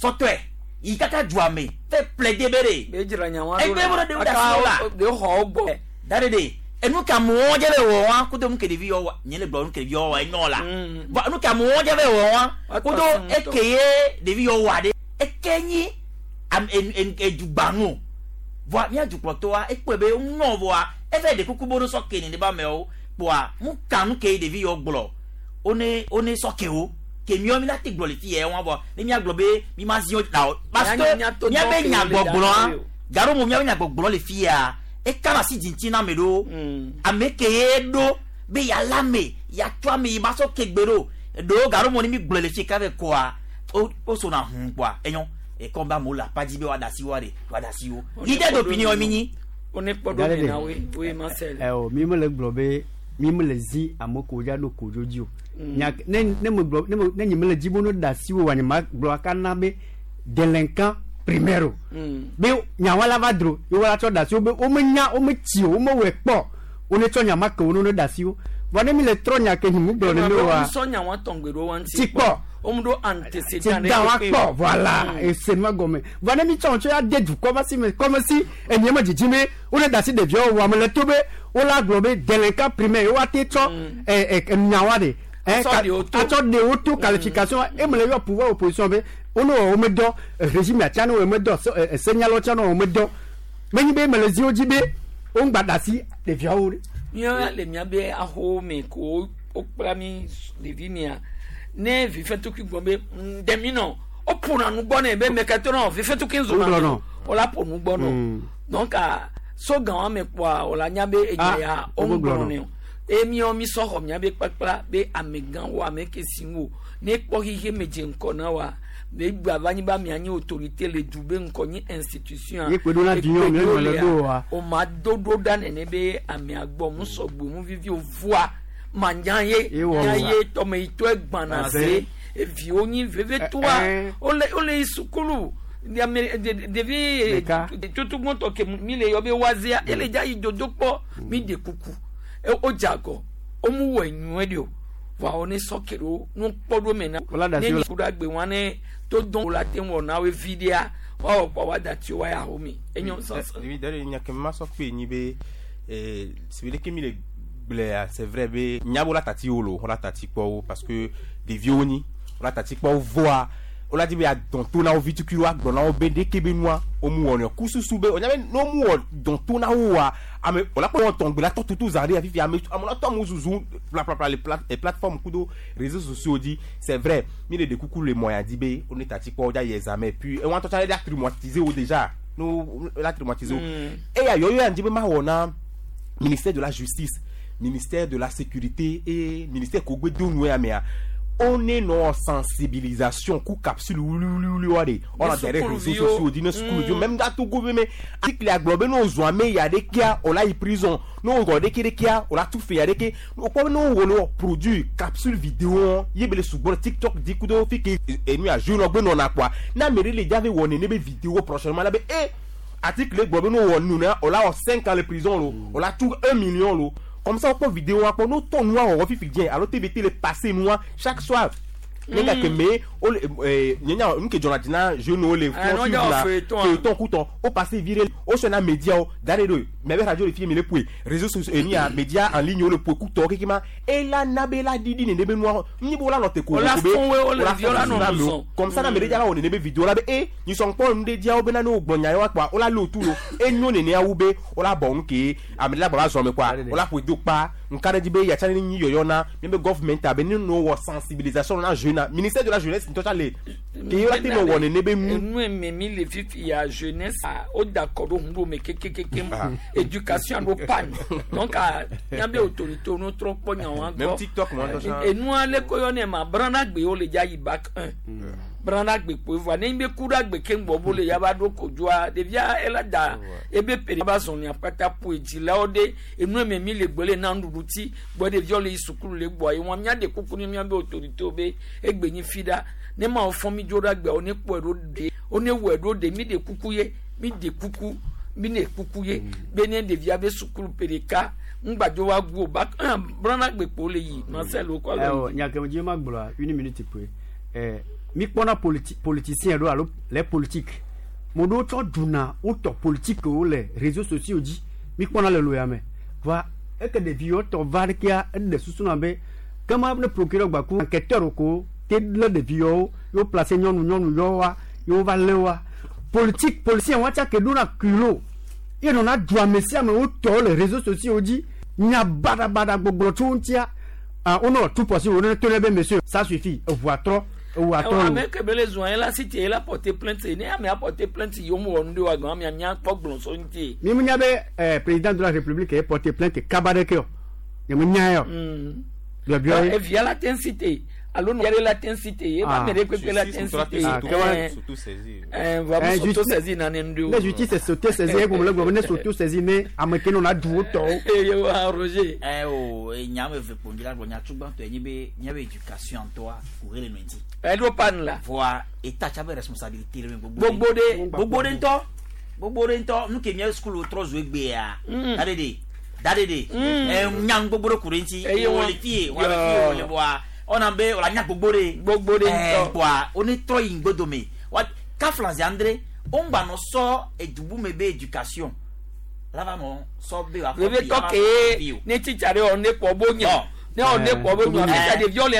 Speaker 4: sɔtɔe yi kaka dua me fɛ plaider be de
Speaker 1: be dzra nya wa
Speaker 4: egbe be ɖe wo da si wo la
Speaker 1: de xɔ wo gbɔ
Speaker 4: da de de enu ka amewo dze be wɔ wa kudo nu ke ɖevi yɔ wa nye le gblɔ nu ke ɖevi yɔ wa enyo la bɔn nu ka amewo dze be wɔ wa kudo eke ye ɖevi yɔ wa de eke nyi am edugbanu voa mía dukplɔtɔa ekpɔe be ŋu vɔa eve ɖe kuku bo ɖo sɔ ke ne ba amewo kpoa mu ka nu ke ɖevi yɔ gblɔ one one sɔ ke wo ke miɔ mi la te gblɔ le fi yɛ wɔn vɔ ne mía gblɔ be mi ma zi wo la o parce que mía be nyagbɔgblɔa garo mo mía be nyagbɔgblɔ le fi ya eka asi dzinti na ame ɖewo ame ke ye ɖo be yala ame yatsɔ ame yi ma sɔ ke gbe ɖo ɖewo garo mo ne mi gblɔ le fi ka ve kɔa wo sona hun kpoa enyo ekɔm be amewo le apa dzi be woaɖe asi woaɖe woaɖe asi wo leader d'opinion mi nyi.
Speaker 1: One kpɔ ɖo mi na woe woe ma sɛ.
Speaker 20: Ɛ o mi mele gblɔ be mi mele zi ame ko dza ɖo kodzo dzi o nya ne ne me gblɔ ne me ne nye mele dzi be ne ɖe asi wo wa nye ma gblɔ aka na be délinquant primaire o be nyawa la va dro ye wo la tsɔ ɖe asi wo be wo menya wo metsi o wo mewɔe kpɔ wo ne tsɔ nya ma ke wo ne ɖe asi wo vɔ ne mi le trɔ nya ke himu gblɔ ne wa
Speaker 1: sɔ nya wa tɔngbe ɖo wa ŋuti
Speaker 20: ti kpɔ
Speaker 1: wo mu ɖo antécédent
Speaker 20: ɖe wa kpɔ voilà ese ma gɔme vɔ ne mi tsɔ tsɔ ya de dukɔ va si me comme si enye me dzidzi be wo ne da asi ɖeviawo wɔ ame le to be wo la gblɔ be délinquant primaire wo ate tsɔ nya wa de atsɔ ɖewo to qualification eme le yɔ pouvoir opposition be wo ne wɔ wo me dɔ régime atia ne wɔ me dɔ senyalawo tia ne wɔ me dɔ menyi be mele zi wo dzi be wo ŋgba da asi ɖeviawo ɖe.
Speaker 1: Mía le mía be axowo me ko wokpla mi ɖevi mia ne vifɛtukui gbɔ be ɖemi nɔ woƒona nu gbɔ nɛ be mɛkɛtɔ nɔ vifɛtukui zɔna wola ƒo nu gbɔ nɔ donc so gã wa me kpɔa wola nya be enya ya wo ŋgblɔ nɛ o eye míawo mi sɔ xɔ mía be kpakpla be amegãwo ame ke si ŋu ne kpɔ xixe me dze ŋkɔ na wa be gba va nyi be amea nye autorité le du be ŋkɔ nye institution
Speaker 20: ye kpe ɖo na vinyɔwo mi le ɖo wa
Speaker 1: o ma do ɖo ɖa nene be amea gbɔ mu sɔgbe mu vivi o voa manya ye nya ye tɔme yi tɔ egbana se eviwo nyi veve toa wole yi sukulu ame ɖevi tutugbɔntɔ ke mi le yɔ be wazia ele dza yi dodo kpɔ mi de kuku o dze agɔ o mu wɔ enyuie de o voa wo ne sɔ ke ɖo nu kpɔ ɖo me na ne mi ku ɖe agbe wa ne to dɔn wo la te wɔ na wo vi ɖea woawɔ kpɔ wa dati wa ya xomi enyo sɔsɔ.
Speaker 2: Ɖevi ɖe nya ke ma sɔ kpe nyi be Si be ke mi le gblɔa, c'est vrai be nya be wola tati wo lo, wola tati kpɔ wo parce que ɖeviwo nyi, wola tati kpɔ wo voa wola di be yeadɔn to na wo vi tukui woagblɔ na wo be ɖeke be nua womu wɔnɛ o. Kususu be wonya be ne womu wɔ dɔn to na wo oa, ame wola kpɔ wɔtɔn gbe la tɔ tutu zã ɖe fifi ame ame la tɔ amewo zuzu plaplapla le pla eh, plateforme kudo réseaux sociaux dzi. C'est vrai, mi le ɖe kuku le mɔ ya dzi be wone tati kpɔ wo dza yi examen puis ewa ŋutɔ tsã la traumatiser wo déjà. Ne wo la traumatiser wo. Eya yɔyɔ ya ŋdzi be mawɔ na ministère de la justice, ministère de la sécurité et ministère ko gbe do nu ya mea, on est nɔ sensibilisation ku capsule wuliwuliwuli wa de on a derrière réseaux sociaux di ne sukuluviwo même da Togo be me article ya gblɔ be ne wozɔ ame ya ɖekea o la yi prison, ne wozɔ ɖeke ɖekea o la tu fe ya ɖeke. Wokpɔ be ne wowɔ ne wɔ produit capsule vidéo ye be le sugbɔ le TikTok di kudo fi ke enu ya jeune gbe nɔna kpoa, ne ame ɖe le dza ve wɔ nene be vidéo prochainement la be eh article gblɔ be ne wowɔ nu na o la wɔ 5 ans le prison lo, o la tu 1 million lo. Comme ça wokpɔ vidéo wa kpɔ ne wotɔ nua wɔwɔ fifi dze alo TVT le passé nua chaque soir ne gake me wole nye nya nu ke dzɔna dzi na jeune wo le
Speaker 1: Ah,
Speaker 2: fɔ
Speaker 1: no,
Speaker 2: suivre
Speaker 1: dza wɔ
Speaker 2: la
Speaker 1: feuilleton a.
Speaker 2: Feuilleton kutɔ wo passé vi ɖe wo na média wo da ɖe ɖo mɛ be radio le fi mi le poe réseaux sociaux eni ya média en ligne wo le poe kutɔ keke ma ela na be la ɖiɖi nene be nua nyi be wola nɔ te ko
Speaker 1: Wola
Speaker 2: ko be
Speaker 1: fɔn we, wole
Speaker 2: wola
Speaker 1: vi, wola
Speaker 2: fɔn
Speaker 1: nɔ
Speaker 2: na
Speaker 1: nu
Speaker 2: amewo.
Speaker 1: zɔn.
Speaker 2: Comme ça na ame ɖe dza la wɔ nene be vidéo la be e nyisɔ kpɔ nu ɖe dzia wo bena ne wo gblɔ nya ye wa kpoa wola lé wotu lo enyo nenea wu be wola bɔ nu ke ame ɖe la gbɔ va zɔ me kpoa wola ƒoe do kpa nka ɖe dzi be yatsa ne nyi yɔyɔ na míabe government abe ne no wɔ sensibilisation na jeune na ministère de la jeunesse ŋutɔ tsa le ke ye la te nɔ wɔ nene be nu.
Speaker 1: Enu eme mi le fifi ya jeunesse a o da kɔ ɖo hun ɖo me kekekeke éducation ɖo panne, donc a míabe autorité wo no trɔ kpɔ nya wa
Speaker 2: Même
Speaker 1: gbɔ.
Speaker 2: TikTok mo ŋutɔ tsã.
Speaker 1: Enua le ko yɔ ne ma brana gbe wo le dza yi bac 1 brana gbe kpo voa ne be ku ɖe agbe keŋ gbɔ bo le ya va ɖo kodzoa ɖevia ela da ebe pere va zɔn kpata ƒo dzilawo ɖe enu eme mi le gbe le na nuɖuɖu ti gbɔ ɖeviawo le yi sukulu le gbɔa ye wɔn mía ɖe kuku ne míabe autorité wo be egbe nyi fi ɖa ne ma wo fɔn mi dzo ɖe agbea wo ne kpɔe ɖo ɖe wo ne wɔe ɖo ɖe mi ɖe kuku ye mi ɖe kuku mi ɖe kuku ye be ne ɖevia be sukulu pe ɖeka ŋgbadzo wa gu o ba brana gbe kpo le yi Marcel wo kɔ
Speaker 20: Ɛwɔ nyakeme dzi ma gblɔa une minute poe mi kpɔna politicien ɖo alo les politiques mo ɖewo tsɔ ɖuna wotɔ politique wo le réseaux sociaux dzi mi kpɔna le loya me va eke ɖeviwo tɔ va ɖekea eɖe susu na be kema ne procureur gbaku enquêteur ko te lé ɖeviwo yewo place nyɔnu nyɔnu yɔwoa yewo va lé woa politique politicien wa tsa ke ɖona culot ye nɔna du ame sia ame wotɔ le réseaux sociaux dzi nya baɖabaɖa gbɔgblɔ tso wo ŋutia, ah, wonɔ tout possible wonɔ to ne be monsieur, ça suffit, eʋua trɔ eʋua trɔ
Speaker 1: Ɛwɔ
Speaker 20: o.
Speaker 1: Ame ke be le zɔn ye la si tie la porter plainte ne ame a porter plainte yi wo mu wɔ nu ɖe wa gɔn amea mía kpɔ gblɔ so ŋuti.
Speaker 20: Mi mu nya be président de la république ye porter plainte kaba ɖeke o nye mu nya ye o biɔbiɔ ye.
Speaker 1: Evia la te cité alo nɔ la te cité ye ba
Speaker 20: Ah.
Speaker 1: ame ɖe kpekpe la te cité.
Speaker 20: Ah,
Speaker 2: S'auto-saisir.
Speaker 1: Va
Speaker 20: Eh,
Speaker 1: s'auto-saisir nane nu ɖe
Speaker 20: ne justice s'auto-saisir ye gɔme le gblɔ be ne s'auto-saisir ne ame ke nɔna du wo tɔwo.
Speaker 1: Eye wa Roger.
Speaker 4: Ɛ o nya ame eve kpo dzi la gblɔ nya tsugbãtɔ ye nyi be míabe éducation ŋutɔa ku he le nɔ ŋuti.
Speaker 1: Ɛɖo pan la.
Speaker 4: Voa état tsa be responsabilité le me gbogbo.
Speaker 1: Gbogbo ɖe.
Speaker 4: Gbogbo ɖe ŋutɔ. Gbogbo ɖe ŋutɔ nu ke mía sukulu trɔ zu egbea. Da ɖe de. Da ɖe de. Ɛ nya nu gbogbo ɖe ku ɖe ŋuti.
Speaker 1: Eye
Speaker 4: Wo le fie, wo le fie, wo le voa ɔna be wòle anya gbogbo ɖe.
Speaker 1: Gbogbo ɖe
Speaker 4: Ɛ
Speaker 1: ŋutɔ.
Speaker 4: kpoa wo ne trɔ yi ŋgbodome. Wa kafla zi andre wo ŋgba nɔ sɔ edubu me be éducation la va nɔ sɔ be wa fɔ
Speaker 1: Vevie
Speaker 4: bi,
Speaker 1: tɔ
Speaker 4: ava
Speaker 1: ke
Speaker 4: fɔ bi o.
Speaker 1: ne titsa ɖe wɔ ne kpɔ bo nya ne wɔ ne kpɔ bo nya titsa ɖeviwo le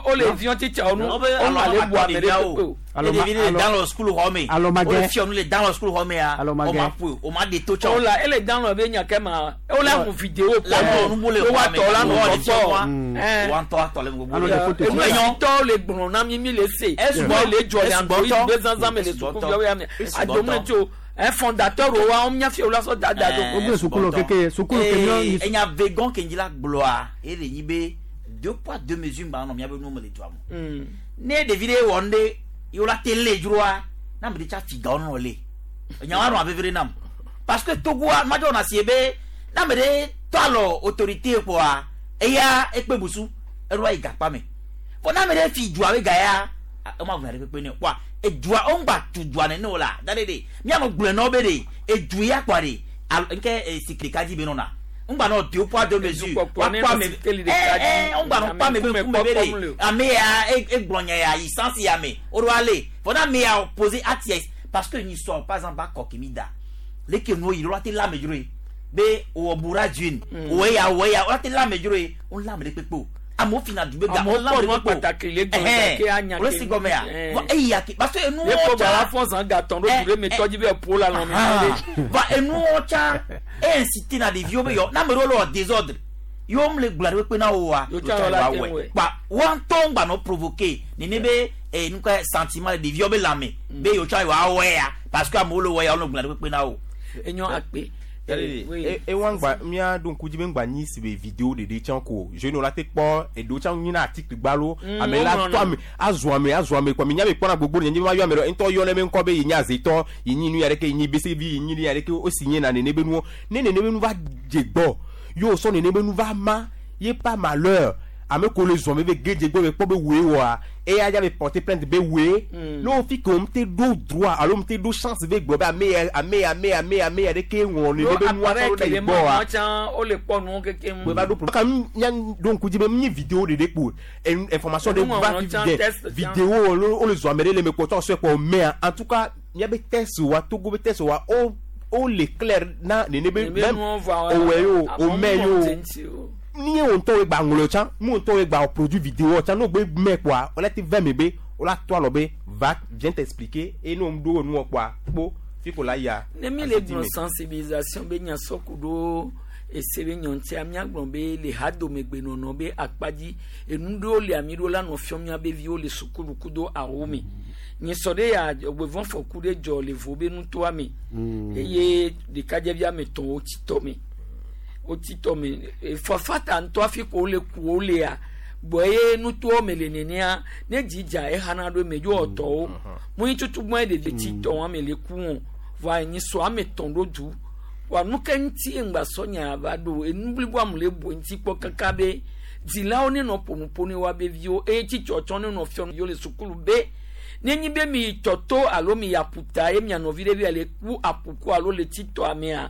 Speaker 1: o le viɔ titsa wo nu
Speaker 4: Wo be
Speaker 1: wo
Speaker 4: alɔ
Speaker 1: ma le
Speaker 4: ma
Speaker 1: bu
Speaker 4: tɔ
Speaker 1: ame ɖe
Speaker 4: ɖeviawo.
Speaker 1: kpekpe o.
Speaker 4: Ne ɖevi ɖe le dan le sukulu xɔ me.
Speaker 20: Alɔ ma
Speaker 4: Wo le
Speaker 20: gɛ.
Speaker 4: fiɔ nu le dan le sukulu xɔ mea.
Speaker 20: Alɔ ma
Speaker 4: Wo ma
Speaker 20: gɛ.
Speaker 4: ƒoe, wo ma ɖe to tsɔ.
Speaker 1: O la ele dan lɔ be nya kɛ ma o la hu vidéo
Speaker 4: La
Speaker 1: kpɔ
Speaker 4: nu bu le
Speaker 1: o wa
Speaker 4: xɔa me.
Speaker 1: tɔ la
Speaker 4: Wo
Speaker 1: nɔ
Speaker 4: le fiɔ nua.
Speaker 1: kpɔ.
Speaker 4: Wa ŋutɔ atɔ le gbogbo
Speaker 20: Alɔ
Speaker 4: ɖe.
Speaker 20: de photo.
Speaker 1: Enu
Speaker 4: Enyo.
Speaker 1: tɔ le gblɔ na mi mi le se.
Speaker 4: Esugbɔ.
Speaker 1: le dzɔ le
Speaker 4: Esugbɔ
Speaker 1: android
Speaker 4: ŋutɔ.
Speaker 1: be zanzan me le
Speaker 4: Esugbɔ ŋutɔ.
Speaker 1: sukuviawo ya me.
Speaker 4: Esugbɔ
Speaker 1: Adomu
Speaker 4: ŋutɔ.
Speaker 1: tso un fondateur wo wa mía fi wo la sɔ dada do.
Speaker 20: Wo gblẽ sukulu keke sukulu ke míɔ
Speaker 4: Ee, enya vegan ke ŋdzi la gblɔa ye le nyi be deux poids deux mesures ŋgba nɔ míabe nuwo me le dua me. Ne ɖevi ɖe wɔ nu ɖe ye wola te lé dzroa na ame ɖe tsa fi gawo nɔ lé enya wa nɔ aveve ɖe nam parce que Togoa madzɔ wɔna sie be na ame ɖe tɔ alɔ autorité kpoa eya ekpe busu eɖo ayi gakpa me fɔ na ame ɖe fi dua be ga ya ema ʋuna ɖe kpekpe ne o kpoa edua wo ŋgba tu dua nene o la da ɖe ɖe mianɔ gblɔe na wo be ɖe edu ya kpoa ɖe alo nke sikili ka dzi be nɔna ŋgba nɔ deux poids deux mesures
Speaker 1: Dukpɔkpɔ ne
Speaker 4: Woakpɔ
Speaker 1: nɔ
Speaker 4: ame
Speaker 1: sikeli ɖeka dzi.
Speaker 4: ɛ ɛ ŋgba nɔ kpɔ ame be
Speaker 1: Ame
Speaker 4: ŋkume be
Speaker 1: ŋkume kpɔkpɔm le
Speaker 4: ɖe
Speaker 1: o.
Speaker 4: ame ya egblɔ nya ya yi sansi ya me o ɖo ale fɔ na ame ya poser acte parce que nyi sɔ par exemple akɔ kemi da leke nuwo yi ɖo la te la ame dzro ye Be wɔ bura dzun wɔ ya wɔ ya wọ́n ti lamɛ dzro ye wọ́n lamɛ ɖe kpekpe o amewo fina du be ga
Speaker 1: Amewo
Speaker 4: wọ́n lamɛ
Speaker 1: kpɔ nua
Speaker 4: ɖe kpekpe
Speaker 1: kpataki le
Speaker 4: o
Speaker 1: gɔme
Speaker 4: Ɛhɛn.
Speaker 1: gake anya
Speaker 4: wòle
Speaker 1: ke-
Speaker 4: si gɔme ya
Speaker 1: Ɛhɛn.
Speaker 4: vɔ eya ke parce que
Speaker 1: Ne
Speaker 4: enuwo
Speaker 1: kpɔ
Speaker 4: tsa
Speaker 1: gbala fɔ zan gatɔn ɖo du ɖe me tɔdzi be eƒo la lɔmi.
Speaker 4: va enuwo tsa e incité na ɖeviwo be yɔ na ame ɖewo le wɔ désordre yewo le gblɔ ɖe kpekpe na wo wa
Speaker 1: Yo tsa wɔ la te wɔe.
Speaker 4: kpa wɔn ŋutɔ gbanɔ provoquer nene be eh, nuka sentiment le ɖeviwo be lãme be yewo tsa yewoa wɔe ya parce que amewo le wɔ ya wo le gblɔ ɖe kpekpe na wo.
Speaker 1: Enyo akpe.
Speaker 2: Ewa ŋgba mía ɖo ŋku dzi be ŋgba nyi si be video ɖeɖe tsã ko jeune la te kpɔ eɖewo tsã nyina article gbalo ame la
Speaker 1: woŋlɔna.
Speaker 2: tɔ ame azu ame azu ame kɔ mi nya be kpɔna gbogbo ɖe nye ma yɔ ame ɖe ŋutɔ yɔ ne be ŋkɔ be yi nye azetɔ yi nyi nu ya ɖeke yi nyi bese vi yi nyi nu ya ɖeke o si nye na nene be nuwo ne nene be nu va dze gbɔ ye wòsɔ nene be nu va ma ye pa malheur ame ko le zɔn be be gedze gbɔ be kpɔ be woe wɔa eya dza be porter plainte be woe ne wo fi ke wo te ɖo droit alo wo te ɖo chance be gblɔ be ame ya ame ya ame ya ame ya ame ya ɖeke ŋlɔ nene be nua
Speaker 1: appareil
Speaker 2: sɔ ɖo
Speaker 1: ke
Speaker 2: yi
Speaker 1: le
Speaker 2: gbɔ wa
Speaker 1: mɔ tsã wole kpɔ nuwo kekem.
Speaker 2: we va ɖo problème ka mía ɖo ŋku dzi be mi vidéo ɖeɖe kpo information ɖe
Speaker 1: Enuŋɔŋlɔ
Speaker 2: va fi
Speaker 1: tsã,
Speaker 2: dɛ
Speaker 1: test tsã.
Speaker 2: vidéo wo wo le zɔ ame ɖe le me kpɔ tsɔ sɔe kpɔ mea en tout cas mía be test wa Togo be test wa o o le clair na nene be
Speaker 1: Nene be
Speaker 2: même
Speaker 1: nuwo va
Speaker 2: owɛ yo
Speaker 1: amewo
Speaker 2: o mɛ
Speaker 1: ŋlɔ
Speaker 2: yo
Speaker 1: dze ŋuti o.
Speaker 2: ni ye wo ŋutɔ wo gba ŋlɔ tsã mu ŋutɔ wo gba produit vidéo tsã n'o gbe mɛ kpoa o la te vɛ me be o la to alɔ be va viens t'expliquer et n'o ɖo nuwɔ kpoa kpo fi ko la ya.
Speaker 1: Ne mi le gblɔ sensibilisation be nya sɔ ku ɖo ese be nyɔntia míagblɔ be le hadomegbenɔnɔ be akpa dzi enu ɖewo le ami ɖo la nɔ fiɔm mía be viwo le sukulu kudo awo me nyisɔ ɖe ya gbevɔfɔku ɖe dzɔ le vo be nutoa me eye ɖekadzɛvi ame etɔ̃ wotsi tɔ me wotsi tɔ me fafa ta ŋutɔ hafi ko wole ku wo lea gbɔ ye nutoa me le nenea ne dzi dza exana ɖo eme dzo ɔtɔwo mu tutu gbɔn ɖevi tsi tɔ wɔn ame le ku wɔn vɔa nyisɔ ame etɔ̃ ɖo du wa nu ke ŋuti ye ŋgba sɔ nya va ɖo enu blibo amu le bo ŋuti kpɔ kaka be dzilawo ne nɔ ƒonuƒo ne woabe viwo eye tsitsɔtsɔ ne nɔ fiɔ viwo le sukulu be nenyi be mi yi tɔto alo mi yi aƒuta ye mia nɔvi ɖe bi le ku aƒuku alo le tsi tɔa mea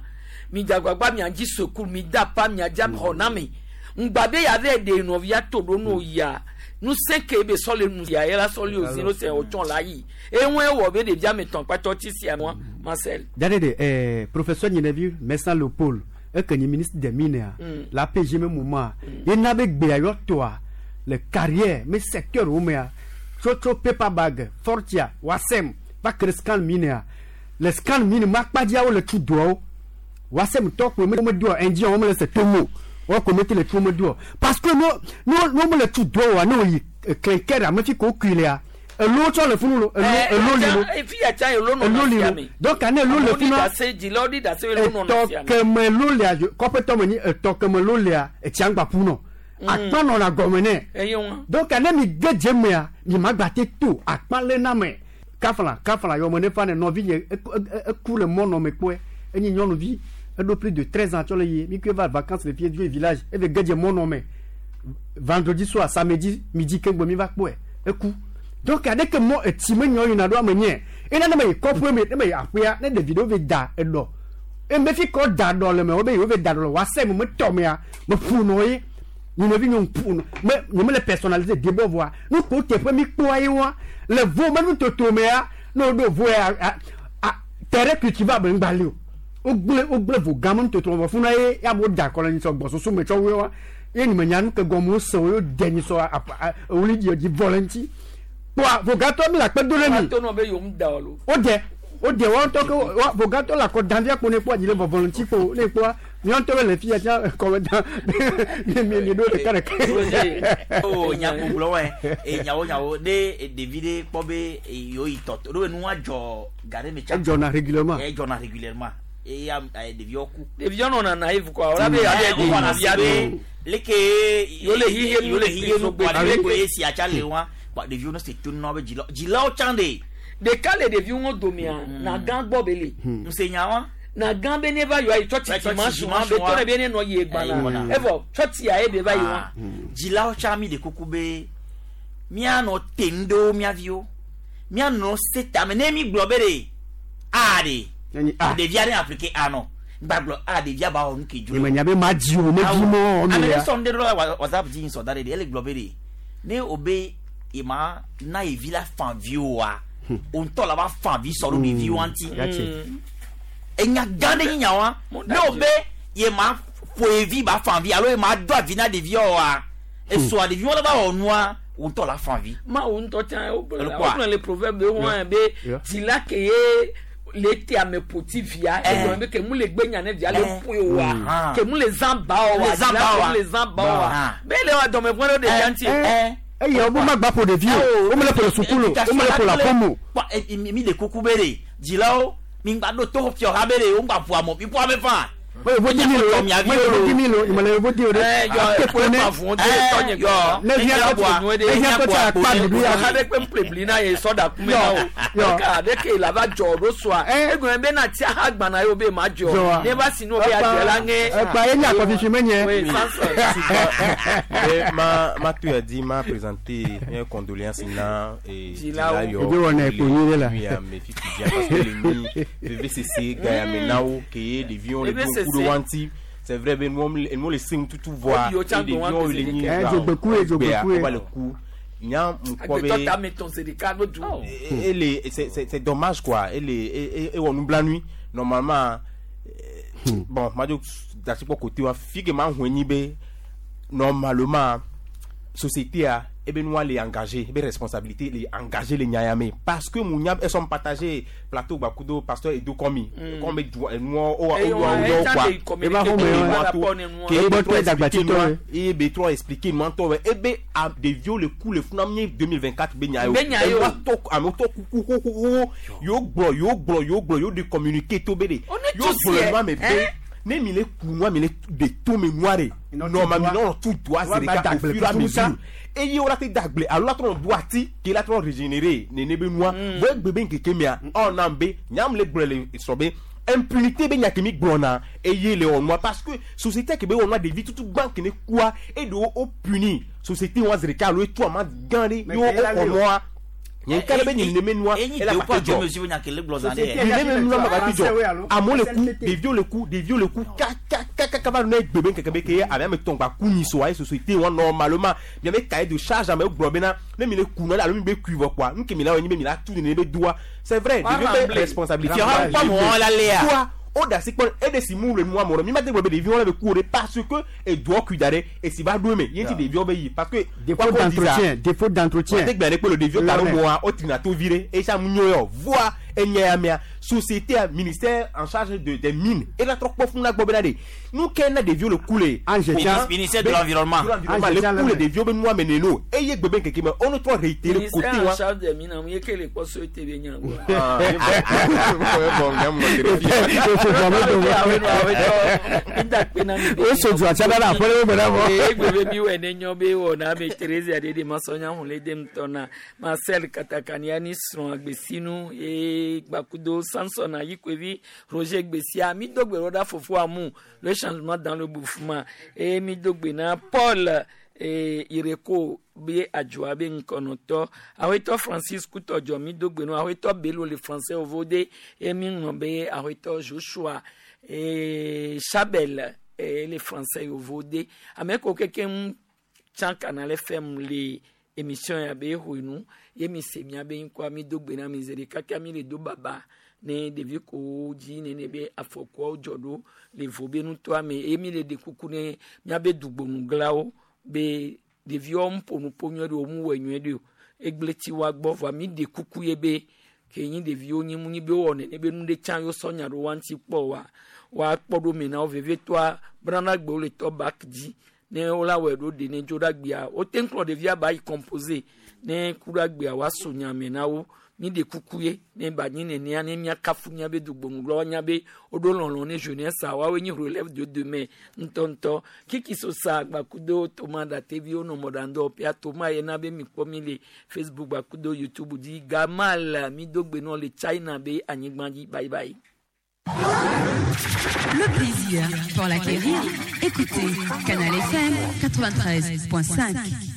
Speaker 1: mi dzagbagba mia dzi sukulu mi da pa mia dza xɔ na mi ŋgba be ya vɛ ɖe nɔvia to ɖo no yia nusẽ ke be sɔ le nu ya ye la sɔ le ozi no sɛ wòtsɔ la yi eye wɔ be ɖevia me tɔn kpatɔ tsi sia mɔ Marcel.
Speaker 20: Dadede, professeur Nyenevi Messan Léopold, eke nyi ministre des mines a, la PG me moment, ye na be gbe ayɔ toa, le carrière, me secteur wo mea, tso tso paper bag, Fortia, Wasem, va kre scan mine a, le scan mine ma kpadziawo le tu doawo, Wasem tɔ ko me me doa, indien wo me le se tomo, wo ko me te le tu wo me doa, parce que no no no me le tu doa wa, no yi clinker ame fi ko kui lea, elo tsɔ le funu lo, elo elo li lo.
Speaker 1: Efi ya tsa elo nɔ
Speaker 20: Elo
Speaker 1: na
Speaker 20: li
Speaker 1: fia
Speaker 20: lo.
Speaker 1: me.
Speaker 20: Donc ane elo le
Speaker 1: Amewo ɖi
Speaker 20: funu
Speaker 1: ɖase dzilawo ɖi ɖase elo nɔ na fia
Speaker 20: etɔ
Speaker 1: me.
Speaker 20: keme lo lia kɔƒetɔ me nyi etɔ keme lo lia etsia ŋgba ƒu nɔ akpa nɔna gɔme nɛ
Speaker 1: Eye wa.
Speaker 20: donc ane mi ge dze mea mi ma gba te to akpa lé na me kafla kafla yɔme ne fa ne nɔvi nye eku le mɔ nɔ me kpɔe enyi nyɔnuvi eɖo plus de 13 ans tsɔ le yi mi kue va vacances le fie dzo yi village eve ge dze mɔ nɔ me vendredi soir samedi midi keŋgbe mi va kpɔe eku donc aɖeke mɔ etsi me nyɔ yina ɖo ame nye ena ne me yi kɔƒe me ne me yi aƒea ne ɖevi ɖewo ve da eɖɔ eme fi kɔ da ɖɔ le me wo be yewo ve da ɖɔ le woase me me tɔ mea me ƒu nɔ ye nye nɔvi nye ƒu nɔ me nye me le personnalisé debɔ vɔa nu ko teƒe mi kpɔa ye wa le vo me nutoto mea ne wo ɖo vo ya a a terrain cultivable ŋgba li o wogblẽ wogblẽ vo gã me nutoto vɔ funa ye ya mo da kɔ le nyisɔ gbɔsusu me tsɔ woe wa ye nye me nya nu ke gɔme wose wo ye de nyisɔ apa a ewuli dzi dzi vɔ le ŋuti kpɔa vogatɔ mi le akpe do ɖe mi
Speaker 1: Wa to nɔ be yewo da o lo.
Speaker 20: wode wode wɔn ŋutɔ ke wa vogatɔ le akɔ dan fia kpo ne kpɔa dzi le vɔvɔ le ŋuti kpo ne kpɔa miɔ ŋutɔ be le fia tia kɔme dan mi mi mi ɖo ɖeka ɖeka.
Speaker 4: o nyakpogblɔ wɛ e nyawo nyawo ne ɖevi ɖe kpɔ be yewo yi tɔ ɖo be nua dzɔ ga ɖe me tsa
Speaker 20: Edzɔna régulièrement.
Speaker 4: edzɔna régulièrement eye ɖeviwo ku.
Speaker 1: Ɖeviwo nɔna naïve quoi. Wòle be abe
Speaker 4: Eh, wowɔna
Speaker 1: ɖevia
Speaker 4: si be
Speaker 1: ɖo.
Speaker 4: leke
Speaker 1: Yewo le xixe nu
Speaker 4: yewo le xixe nu
Speaker 1: gbe
Speaker 4: kpɔ ɖevi
Speaker 1: ɖe.
Speaker 4: ko ye sia tsa le wa kpɔ ɖeviwo ne se to nɔ be dzilawo dzilawo tsã de.
Speaker 1: Ɖeka le ɖeviwo domea na gã gbɔ be le.
Speaker 4: Ŋusenya wa.
Speaker 1: Na gã be ne va yɔ ayi tsɔtsi
Speaker 4: Tsɔtsi
Speaker 1: dimanche wa be
Speaker 4: dimanche wa.
Speaker 1: tɔ ɖe be ne nɔ yi
Speaker 4: Eh,
Speaker 1: egbana. Evɔ tsɔtsi ya ye be va yi wa.
Speaker 4: Dzilawo tsã mi de kuku be míanɔ te nu ɖewo mía viwo míanɔ se tame ne mi gblɔ be ɖe a ɖe ɖevia ɖe appliquer a nɔ gba gblɔ a ɖevia ba wɔ nu ke dzo.
Speaker 20: Nye me nya be ma dzi o me dzi mɔ
Speaker 4: ame
Speaker 20: mi
Speaker 4: ɖe
Speaker 20: ya.
Speaker 4: sɔ nu ɖe ɖo la WhatsApp dzi sɔ da ɖe ɖe ele gblɔ be ɖe ne o be ye ma na ye vi la fan vi oa o ŋutɔ la va fan vi sɔ ɖo ɖeviwoa ŋuti.
Speaker 20: Yatse.
Speaker 4: Enya gã ɖe nyi nya wa ne o be ye ma ƒo evi ba fan vi alo ye ma do avi na ɖeviawo wa esɔa ɖeviwo la va wɔ nua wo ŋutɔ la fan vi.
Speaker 1: Mawu ŋutɔ tsã wogblɔ
Speaker 4: Ele kɔa?
Speaker 1: wogblɔ le proverbe wɔn be dzila ke ye le te ame ƒoti via egblɔ be ke mu le gbe nya ne via le ƒoe oa
Speaker 4: Ah.
Speaker 1: ke mu le zã ba o wa
Speaker 4: Le zã
Speaker 1: dzila
Speaker 4: ba
Speaker 1: ke
Speaker 4: oa.
Speaker 1: mu le zã ba o wa
Speaker 4: Ah.
Speaker 1: be le wa dɔme ƒe ɖe ɖevia ŋuti.
Speaker 20: Eya wo ma gba ƒo ɖevi o, wo me le ƒo le sukulu o, wo me le ƒo le aƒeme o.
Speaker 4: Kpɔ, mi le kuku be ɖe dzilawo mi ŋgba ɖo to fiɔ ha be ɖe wo ŋgba ƒo ame mi ƒo ame fã.
Speaker 20: Me le vo di mi lo, me le vo di mi lo, me le vo di o ɖe.
Speaker 1: Yɔ
Speaker 20: Ate
Speaker 1: kpe
Speaker 20: ne.
Speaker 1: ma vɔn de tɔnye gbɔ.
Speaker 20: Ne via kɔ ne via kɔ tsa akpa ɖuɖu ya.
Speaker 1: Ha ɖe kpe ƒle bli na ye sɔda kume na o.
Speaker 20: Yɔ.
Speaker 1: Ka ɖe ke la va dzɔ ɖo sɔa. Egblɔ be na tia ha gbana ye o be ma dzɔ.
Speaker 20: Dzɔa.
Speaker 1: Ne va si no be adzɔ la ŋe.
Speaker 20: Ekpa ye nye akɔfifi menye.
Speaker 1: Oui, Samson.
Speaker 2: Et ma tu as dit m'a présenté une condoléance na et
Speaker 1: Dzilawo.
Speaker 20: Ebi wɔna ekpo nyuie ɖe la.
Speaker 2: oui mes filles qui vient parce que le mi VVCC Gaïa Menao qui est des vions les
Speaker 1: VVCC.
Speaker 2: bons coups de wanti c'est vrai ben nous nous les signe tout tout voir
Speaker 1: Obi, o
Speaker 2: des
Speaker 1: tsa
Speaker 2: vions
Speaker 1: gbɔn
Speaker 2: les
Speaker 1: wa
Speaker 2: ni
Speaker 20: Eh, dzogbeku ye, dzogbeku ye.
Speaker 2: on va le coup nya mkɔ
Speaker 1: Agbetɔ
Speaker 2: be
Speaker 1: ta me tɔn se ɖeka ɖo du.
Speaker 2: et les c'est dommage quoi et les et on nous blanc nuit normalement bon madio dati kpɔ côté wa fige ma hu enyi be normalement société a ebe nua le engagé ebe responsabilité le engagé le nya ya me parce que mu nya esɔn partagé plateau gbakudo pasteur edo kɔmi kɔmi be du enua o o
Speaker 1: Eyo,
Speaker 2: o
Speaker 1: eh,
Speaker 2: o
Speaker 1: tsa
Speaker 2: quoi
Speaker 1: de communiqué
Speaker 20: Eba home,
Speaker 1: de
Speaker 20: ouais.
Speaker 1: par rapport ne nua.
Speaker 2: ke ebe
Speaker 20: Ebe
Speaker 2: trɔ
Speaker 20: tɔ
Speaker 2: expliqué
Speaker 20: dagbatitɔ
Speaker 2: nua
Speaker 20: ye.
Speaker 2: ebe trɔ expliqué nua ŋutɔ bɛ ebe a ɖeviwo le ku le funa nye 2024 be nya ye o
Speaker 1: Be nya ye o.
Speaker 2: Enua tɔ amewo tɔ kuku xoxoxo yewo gblɔ yewo gblɔ yewo gblɔ yewo de communiqué to be de
Speaker 1: On est
Speaker 2: yewo
Speaker 1: tous
Speaker 2: gblɔ
Speaker 1: hier,
Speaker 2: nua me be
Speaker 1: hein?
Speaker 2: ne mi le ku nua mi le de to me nua de normalement mi nɔ tu doa
Speaker 20: Wa
Speaker 2: zi
Speaker 20: ba
Speaker 2: ɖeka au
Speaker 20: dagble
Speaker 2: fur et à
Speaker 20: tutu
Speaker 2: mesure
Speaker 20: sa.
Speaker 2: eye wo la te dagble alo la trɔ do ati ke la trɔ régénérer nene be nua bɔn egbe be nkeke mea ɔna be nyam le gblɔ le sɔ be impunité be nya ke mi gblɔna eye le wɔ nua parce que société ke be wɔ nua ɖevi tutu gbã ke ne kua eɖewo wo puni société wa zi ɖeka alo etu ama gã ɖe
Speaker 20: Mais
Speaker 2: ye wo
Speaker 20: ke la
Speaker 2: xɔ
Speaker 20: le o.
Speaker 2: nua nye ŋka ɖe be nye nene nua
Speaker 4: Enyi
Speaker 2: ela
Speaker 4: deux
Speaker 2: va
Speaker 4: poids
Speaker 2: te
Speaker 4: deux
Speaker 2: dzɔ
Speaker 4: mesures nya ke le gblɔ zã ɖe.
Speaker 20: Société-
Speaker 2: nene me nua ma va te
Speaker 20: Français, oui,
Speaker 2: dzɔ
Speaker 20: alo?
Speaker 2: amewo le ku
Speaker 20: SNTT.
Speaker 2: ɖeviwo le ku ɖeviwo le ku kakakaka va nɔ egbe be nkeke be ke ye ame ame tɔn gba ku nyi soa ye société wa normalement miabe cahier de charge amewo gblɔ bena ne mi le ku nua alo mi be kui vɔ kpoa nu ke mi la wɔ nyi be mi la tu nene be doa c'est vrai
Speaker 1: Wa
Speaker 2: ɖeviwo be
Speaker 1: rembler.
Speaker 2: responsabilité
Speaker 4: Fiɔha kpɔ mɔ la lea.
Speaker 2: Toi, o da si kpɔ e de si mu le nua mɔ mi ma te gblɔ be ɖeviwo le be ku o de parce que edoa kui da ɖe esi va ɖo eme ye ŋuti ɖeviwo be yi parce que
Speaker 20: Défaut d'entretien, défaut d'entretien.
Speaker 2: wọ́n ti gbẹ̀rẹ̀ pé le ɖeviwo ta ɖo
Speaker 20: Lɔnɛ.
Speaker 2: mɔa o tina to vi ɖe esa mu nyo yɔ voa enye ya mea société a ministère en charge de des mines ela trɔ kpɔ fún la gbɔ bena de nu ke na ɖeviwo le ku le.
Speaker 20: Ange tsa.
Speaker 4: Ministère de l'environnement.
Speaker 2: de l'environnement
Speaker 20: Ange
Speaker 2: le
Speaker 20: tsa
Speaker 2: ku le
Speaker 20: le mɛ.
Speaker 2: ɖeviwo be nua me neno eye gbe be nkeke me onu trɔ réitérer côté
Speaker 1: Ministère en
Speaker 2: wa.
Speaker 1: charge des mines, ye ke le kpɔ so ete be nya gbɔ.
Speaker 2: Ah, bon, bon,
Speaker 20: O so du atsa ɖe aƒe ɖe wo me ɖe vɔ.
Speaker 1: Egbe mi wɔ ne nyɔ be wɔ na be Therese aɖe masɔnya hun le dem tɔ na Marcel Katakania ni srɔ̃ agbesinu ye gbakudo Samson Ayikwevi Roger Gbesia mi do gbe ɖo ɖa fofo amu le changement dans le mouvement eye mi do gbe na Paul Ireko be adzɔa be ŋkɔnɔtɔ awetɔ Francis Kutɔdzɔ mi do gbe na awetɔ Bello le français ovode eye mi ŋlɔ be awetɔ Joshua Chabel le français ovode ame ko kekeŋ tsã Canal FM le émission ya be xɔe nu ye mi se mia be ŋkɔa mi do gbe na mi zi ɖeka kia mi le do baba ne ɖevi kowo dzi nene be afɔkuawo dzɔ ɖo le vo be nutoa me eye mi le ɖe kuku ne miabe dugbonuglãwo be ɖeviwo ŋu ƒo nu ƒo nyuie ɖe o mu wɔe nyuie ɖe o egble tsi wa gbɔ vɔa mi ɖe kuku ye be ke nyi ɖeviwo nyi mu nyi be wowɔ nene be nu ɖe tsã yewo sɔ nya ɖo wa ŋuti kpɔ wa wa kpɔ ɖo me na wo vevietɔa brana gbewo le tɔ bak dzi ne wola wɔe ɖo ɖe ne dzo ɖe agbea wote ŋu kplɔ ɖevia ba yi composé ne ku ɖe agbea wa so nya me na wo mi ɖe kuku ye ne ba nyi nenea ne miakafu miabe dugbonuglɔwo nya be woɖo lɔlɔ ne jeunesse a woawoe nyi relève de demain ŋutɔŋutɔ kiki sosa gbakudo toma dateviwo nɔ mɔɖaŋdɔwɔƒea toma ye na be mikpɔ mi le facebook gbakudo youtube dzi gamal mi do gbe nɔ le china be anyigba dzi bye bye.
Speaker 5: Le plaisir pour l'acquérir. Écoutez Canal FM 93.5.